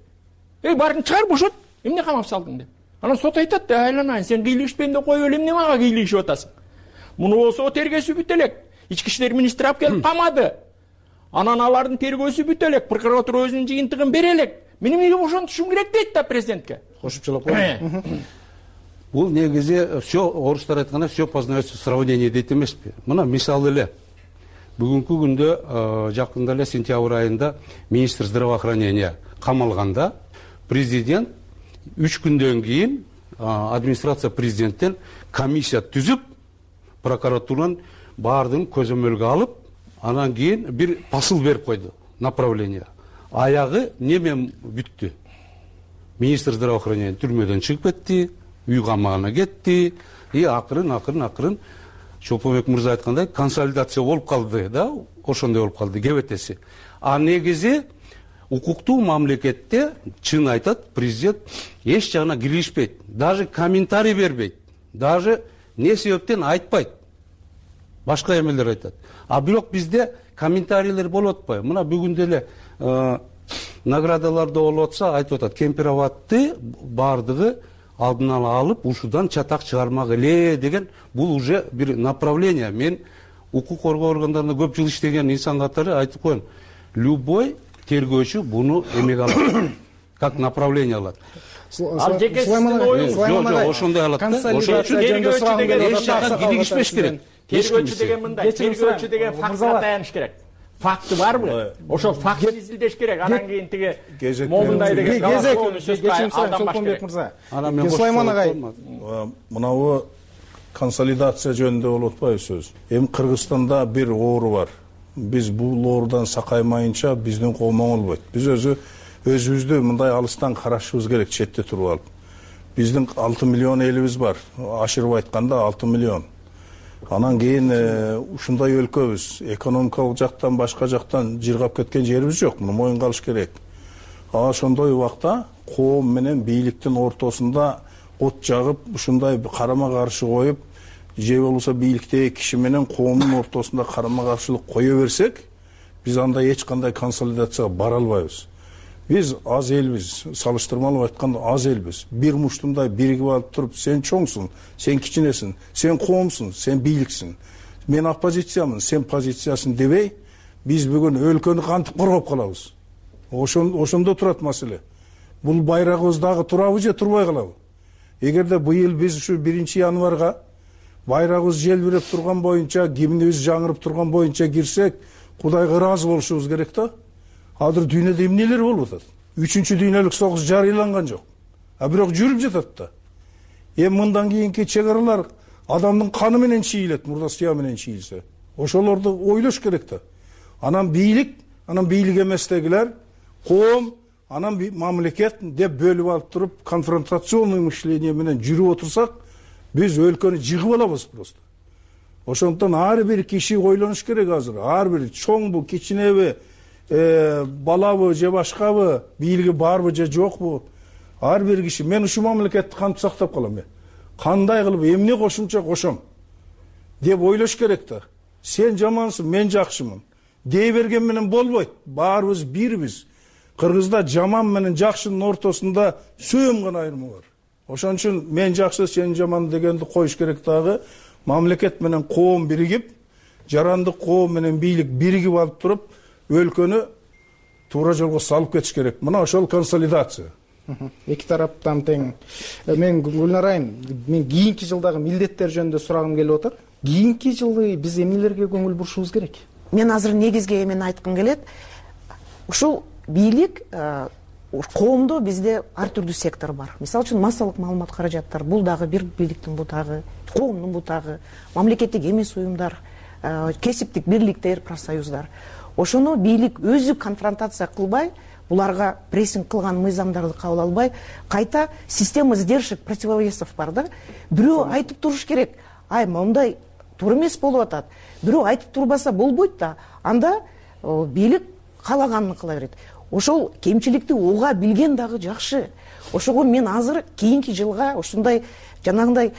Баарын чыгар, бошот. Эмне камап салдың деп. Анан сот айтат, айланайын, сен кийлигишпейм деп коюп эле эмне мага кийлигишип атасың? Муну болсо тергөөсү бүтө элек. Ички иштер министри алып келип камады. Анан алардын тергөөсү бүтө элек, прокуратура өзүнүн жыйынтыгын бере элек. Мен эмнеге ошентишим керек дейт да президентке. Кошупчулап коеюн. Бул негизи все орустар айткандай все познается в сравнении дейт эмеспи? Мына мисалы эле бүгүнкү күндө жакында эле сентябрь айында министр здравоохранения камалганда президент 3 күндөн кийин администрация президенттен комиссия түзүп прокуратуранын баардыгын көзөмөлгө алып, анан кийин бир посыл берип койду, направление. Аягы немен бүттү? Министр здравоохранения түрмөдөн чыгып кетти, үй камагына кетти, акырын Чолпонбек мырза айткандай консолидация болуп калды да, ошондой болуп калды кебетеси. Негизи укуктуу мамлекетте чын айтат, президент эч жагына киришпейт, даже комментарий бербейт, даже не себептен айтпайт. Башка эмелер айтат. Бирок бизде комментарийлер болуп атпайбы? Мына бүгүн эле наградаларда болуп атса айтып атат, Кемпир-Абадты баардыгы алдын ала алып, ушудан чатак чыгармак эле деген, бул уже бир направление. Мен укук коргоо органдарында көп жыл иштеген инсан катары айтып коем, любой тергөөчү буну эмеге алат, как направление алат. Ал жекесиздин оюңуз жок, ошондой алат да. Ошон үчүн тергөөчү деген эч жакка киригишпеш керек. Тергөөчү деген мындай, тергөөчү деген фактка таяныш керек. Факты барбы? Ошол фактты изилдеш керек. Анан кийин тиги момундай деген Чолпонбек мырза. Сулайман агай, мынабу консолидация жөнүндө болуп атпайбы сөз? Эми Кыргызстанда бир оору бар. Биз бул оорудан сакаймайынча биздин коом оңолбойт. Биз өзүбүздү мындай алыстан карашыбыз керек, четте туруп алып. Биздин 6 миллион элибиз бар. Ашырып айтканда 6 миллион. Анан кийин ушундай өлкөбүз, экономикалык жактан башка жактан жыргап кеткен жерибиз жок, муну моюнга алыш керек. Ошондой убакта коом менен бийликтин ортосунда от жагып, ушундай карама каршы коюп, же болбосо бийликтеги киши менен коомдун ортосунда карама каршылык кое берсек, биз анда эч кандай консолидацияга бара албайбыз. Биз аз элбиз, салыштырмалуу айтканда аз элбиз. Бир муштумдай биригип алып туруп, сен чоңсуң, сен кичинесиң, сен коомсуң, сен бийликсиң, мен оппозициямын, сен позициясың дебей, биз бүгүн өлкөнү кантип коргоп калабыз? Ошондо турат маселе. Бул байрагыбыз дагы турабы же турбай калабы? Эгерде быйыл биз ушу 1-январга байрагыбыз желбиреп турган боюнча, гимнибиз жаңырып турган боюнча кирсек, Кудайга ыраазы болушубуз керек да. Азыр дүйнөдө эмнелер болуп атат? 3-дүйнөлүк согуш жарыяланган жок. Бирок жүрүп жатат да. Мындан кийинки чек аралар адамдын каны менен чийилет, мурда сыя менен чийилсе. Ошолорду ойлош керек да. Анан бийлик эместегилер, коом, анан мамлекет деп бөлүп алып туруп, конфронтационный мышление менен жүрүп отурсак, биз өлкөнү жыгып алабыз просто. Ошондон ар бир киши ойлонуш керек азыр. Ар бир чоңбу, кичинеби, балабы же башкабы, бийлиги барбы же жокпу, ар бир киши мен ушул мамлекетти кантип сактап калам, кандай кылып эмне кошумча кошом деп ойлош керек да. Сен жамансың, мен жакшымын дей берген менен болбойт. Баарыбыз бирбиз. Кыргызда жаман менен жакшынын ортосунда сөөм гана айырмы бар. Ошон үчүн мен жакшы, сен жаман дегенди коюш керек дагы. Мамлекет менен коом биригип, жарандык коом менен бийлик биригип алып туруп, өлкөнү туура жолго салып кетиш керек. Мына ошол консолидация. Эки тараптан тең. Мен Гүлнар айым, мен кийинки жылдагы милдеттер жөнүндө сурагым келип атат. Кийинки жылы биз эмнелерге көңүл бурушубуз керек? Мен азыр негизги эмен айткым келет. Ушул бийлик, коомдо бизде ар түрдүү сектор бар. Мисалы үчүн массалык маалымат каражаттар, бул дагы бир бийликтин бутагы, коомдун бутагы, мамлекеттик эмес уюмдар, кесиптик бирликтер, профсоюздар. Ошону бийлик өзү конфронтация кылбай, буларга прессинг кылган мыйзамдарды кабыл албай, кайта система сдержек, противовесов бар да. Бирөө айтып туруш керек. Мондай туура эмес болуп атат. Бирөө айтып турбаса болбойт да. Анда бийлик каалаганын кыла берет. Ошол кемчиликти уга билген дагы жакшы. Ошого мен азыр кийинки жылга ушундай жанагындай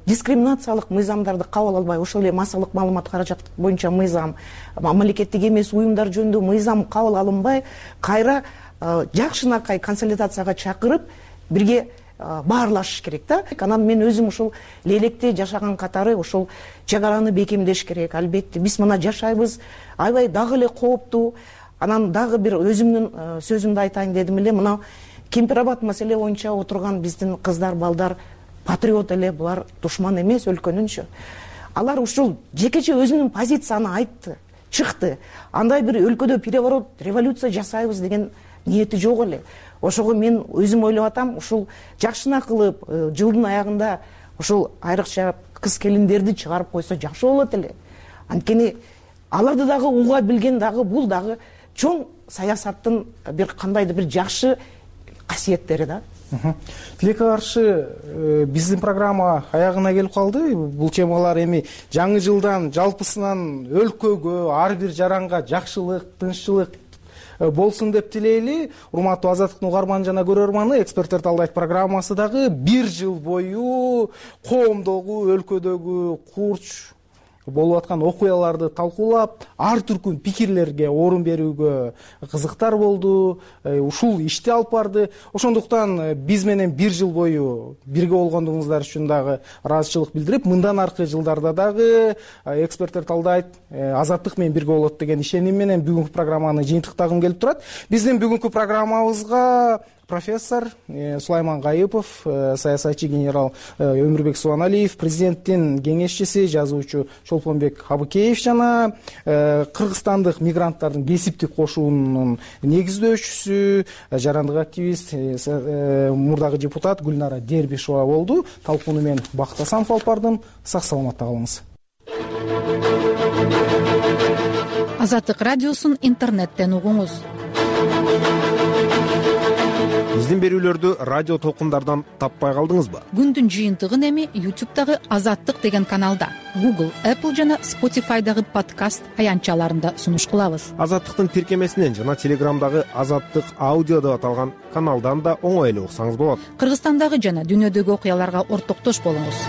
дискриминациялык мыйзамдарды кабыл албай, ошол эле массалык маалымат каражат боюнча мыйзам, мамлекеттик эмес уюмдар жөнүндө мыйзам кабыл алынбай, кайра жакшынакай консолидацияга чакырып, бирге баарлашыш керек да. Анан мен өзүм ушул Лелекте жашаган катары ушул чек араны бекемдеш керек. Албетте биз мына жашайбыз, аябай дагы эле кооптуу. Анан дагы бир өзүмдүн сөзүмдү айтайын дедим эле, мына Кемпирабад маселе боюнча отурган биздин кыздар, балдар патриот эле, булар душман эмес өлкөнүнчү. Алар ушул жекече өзүнүн позицияны айтты, чыкты. Андай бир өлкөдө переворот, революция жасайбыз деген ниети жок эле. Ошого мен өзүм ойлоп атам, ушул жакшына кылып, жылдын аягында ушул айрыкча кыз келиндерди чыгарып койсо жакшы болот эле. Анткени аларды дагы уга билген дагы бул дагы чоң саясаттын бир кандайдыр бир жакшы касиеттери да. Тилекке каршы биздин программа аягына келип калды. Бул темалар эми жаңы жылдан жалпысынан өлкөгө, ар бир жаранга жакшылык, тынччылык болсун деп тилейли. Урматтуу Азаттыктын угарман жана көрөрманы, эксперттер талдайт программасы дагы бир жыл бою коомдогу, өлкөдөгү курч болуп аткан окуяларды талкуулап, ар түркүн пикирлерге орун берүүгө кызыктар болду, ушул ишти алып барды. Ошондуктан биз менен бир жыл бою бирге болгондугуңуздар үчүн дагы ыраазычылык билдирип, мындан аркы жылдарда дагы эксперттер талдайт, Азаттык менен бирге болот деген ишеним менен бүгүнкү программаны жыйынтыктагым келип турат. Биздин бүгүнкү программабызга профессор Сулайман Гайыпов, саясатчы генерал Өмүрбек Субаналиев, президенттин кеңешчиси, жазуучу Чолпонбек Абыкеев жана кыргызстандык мигранттардын кесиптик кошуунун негиздөөчүсү, жарандык активист, мурдагы депутат Гүлнара Дербишова болду. Талкууну мен Бакыт Асанов алып бардым. Сак саламатта калыңыз. Азаттык радиосун интернеттен угуңуз. биздин берүүлөрдү радио толкундардан таппай калдыңызбы? Күндүн жыйынтыгын эми YouTube'дагы Азаттык деген каналда, Google, Apple жана Spotify'дагы подкаст аянтчаларында сунуш кылабыз. Азаттыктын тиркемесинен жана Телеграмдагы Азаттык аудио деп аталган каналдан да оңой эле уксаңыз болот. Кыргызстандагы жана дүйнөдөгү окуяларга ортоктош болуңуз.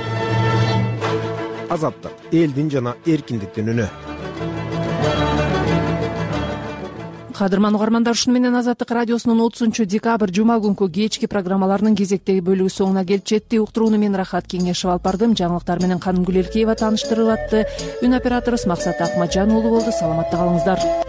Азаттык — элдин жана эркиндиктин үнү. Кадырман угармандар, ушуну менен Азаттык радиосунун 30-декабрь жума күнкү кечки программаларынын кезектеги бөлүгү соңуна келип жетти. Уктурууну мен Рахат Кеңешев алып бардым. Жаңылыктар менен Каным Гүлелкеева тааныштырып атты. Үн операторубуз Максат Акмаджан уулу болду. Саламатта калыңыздар.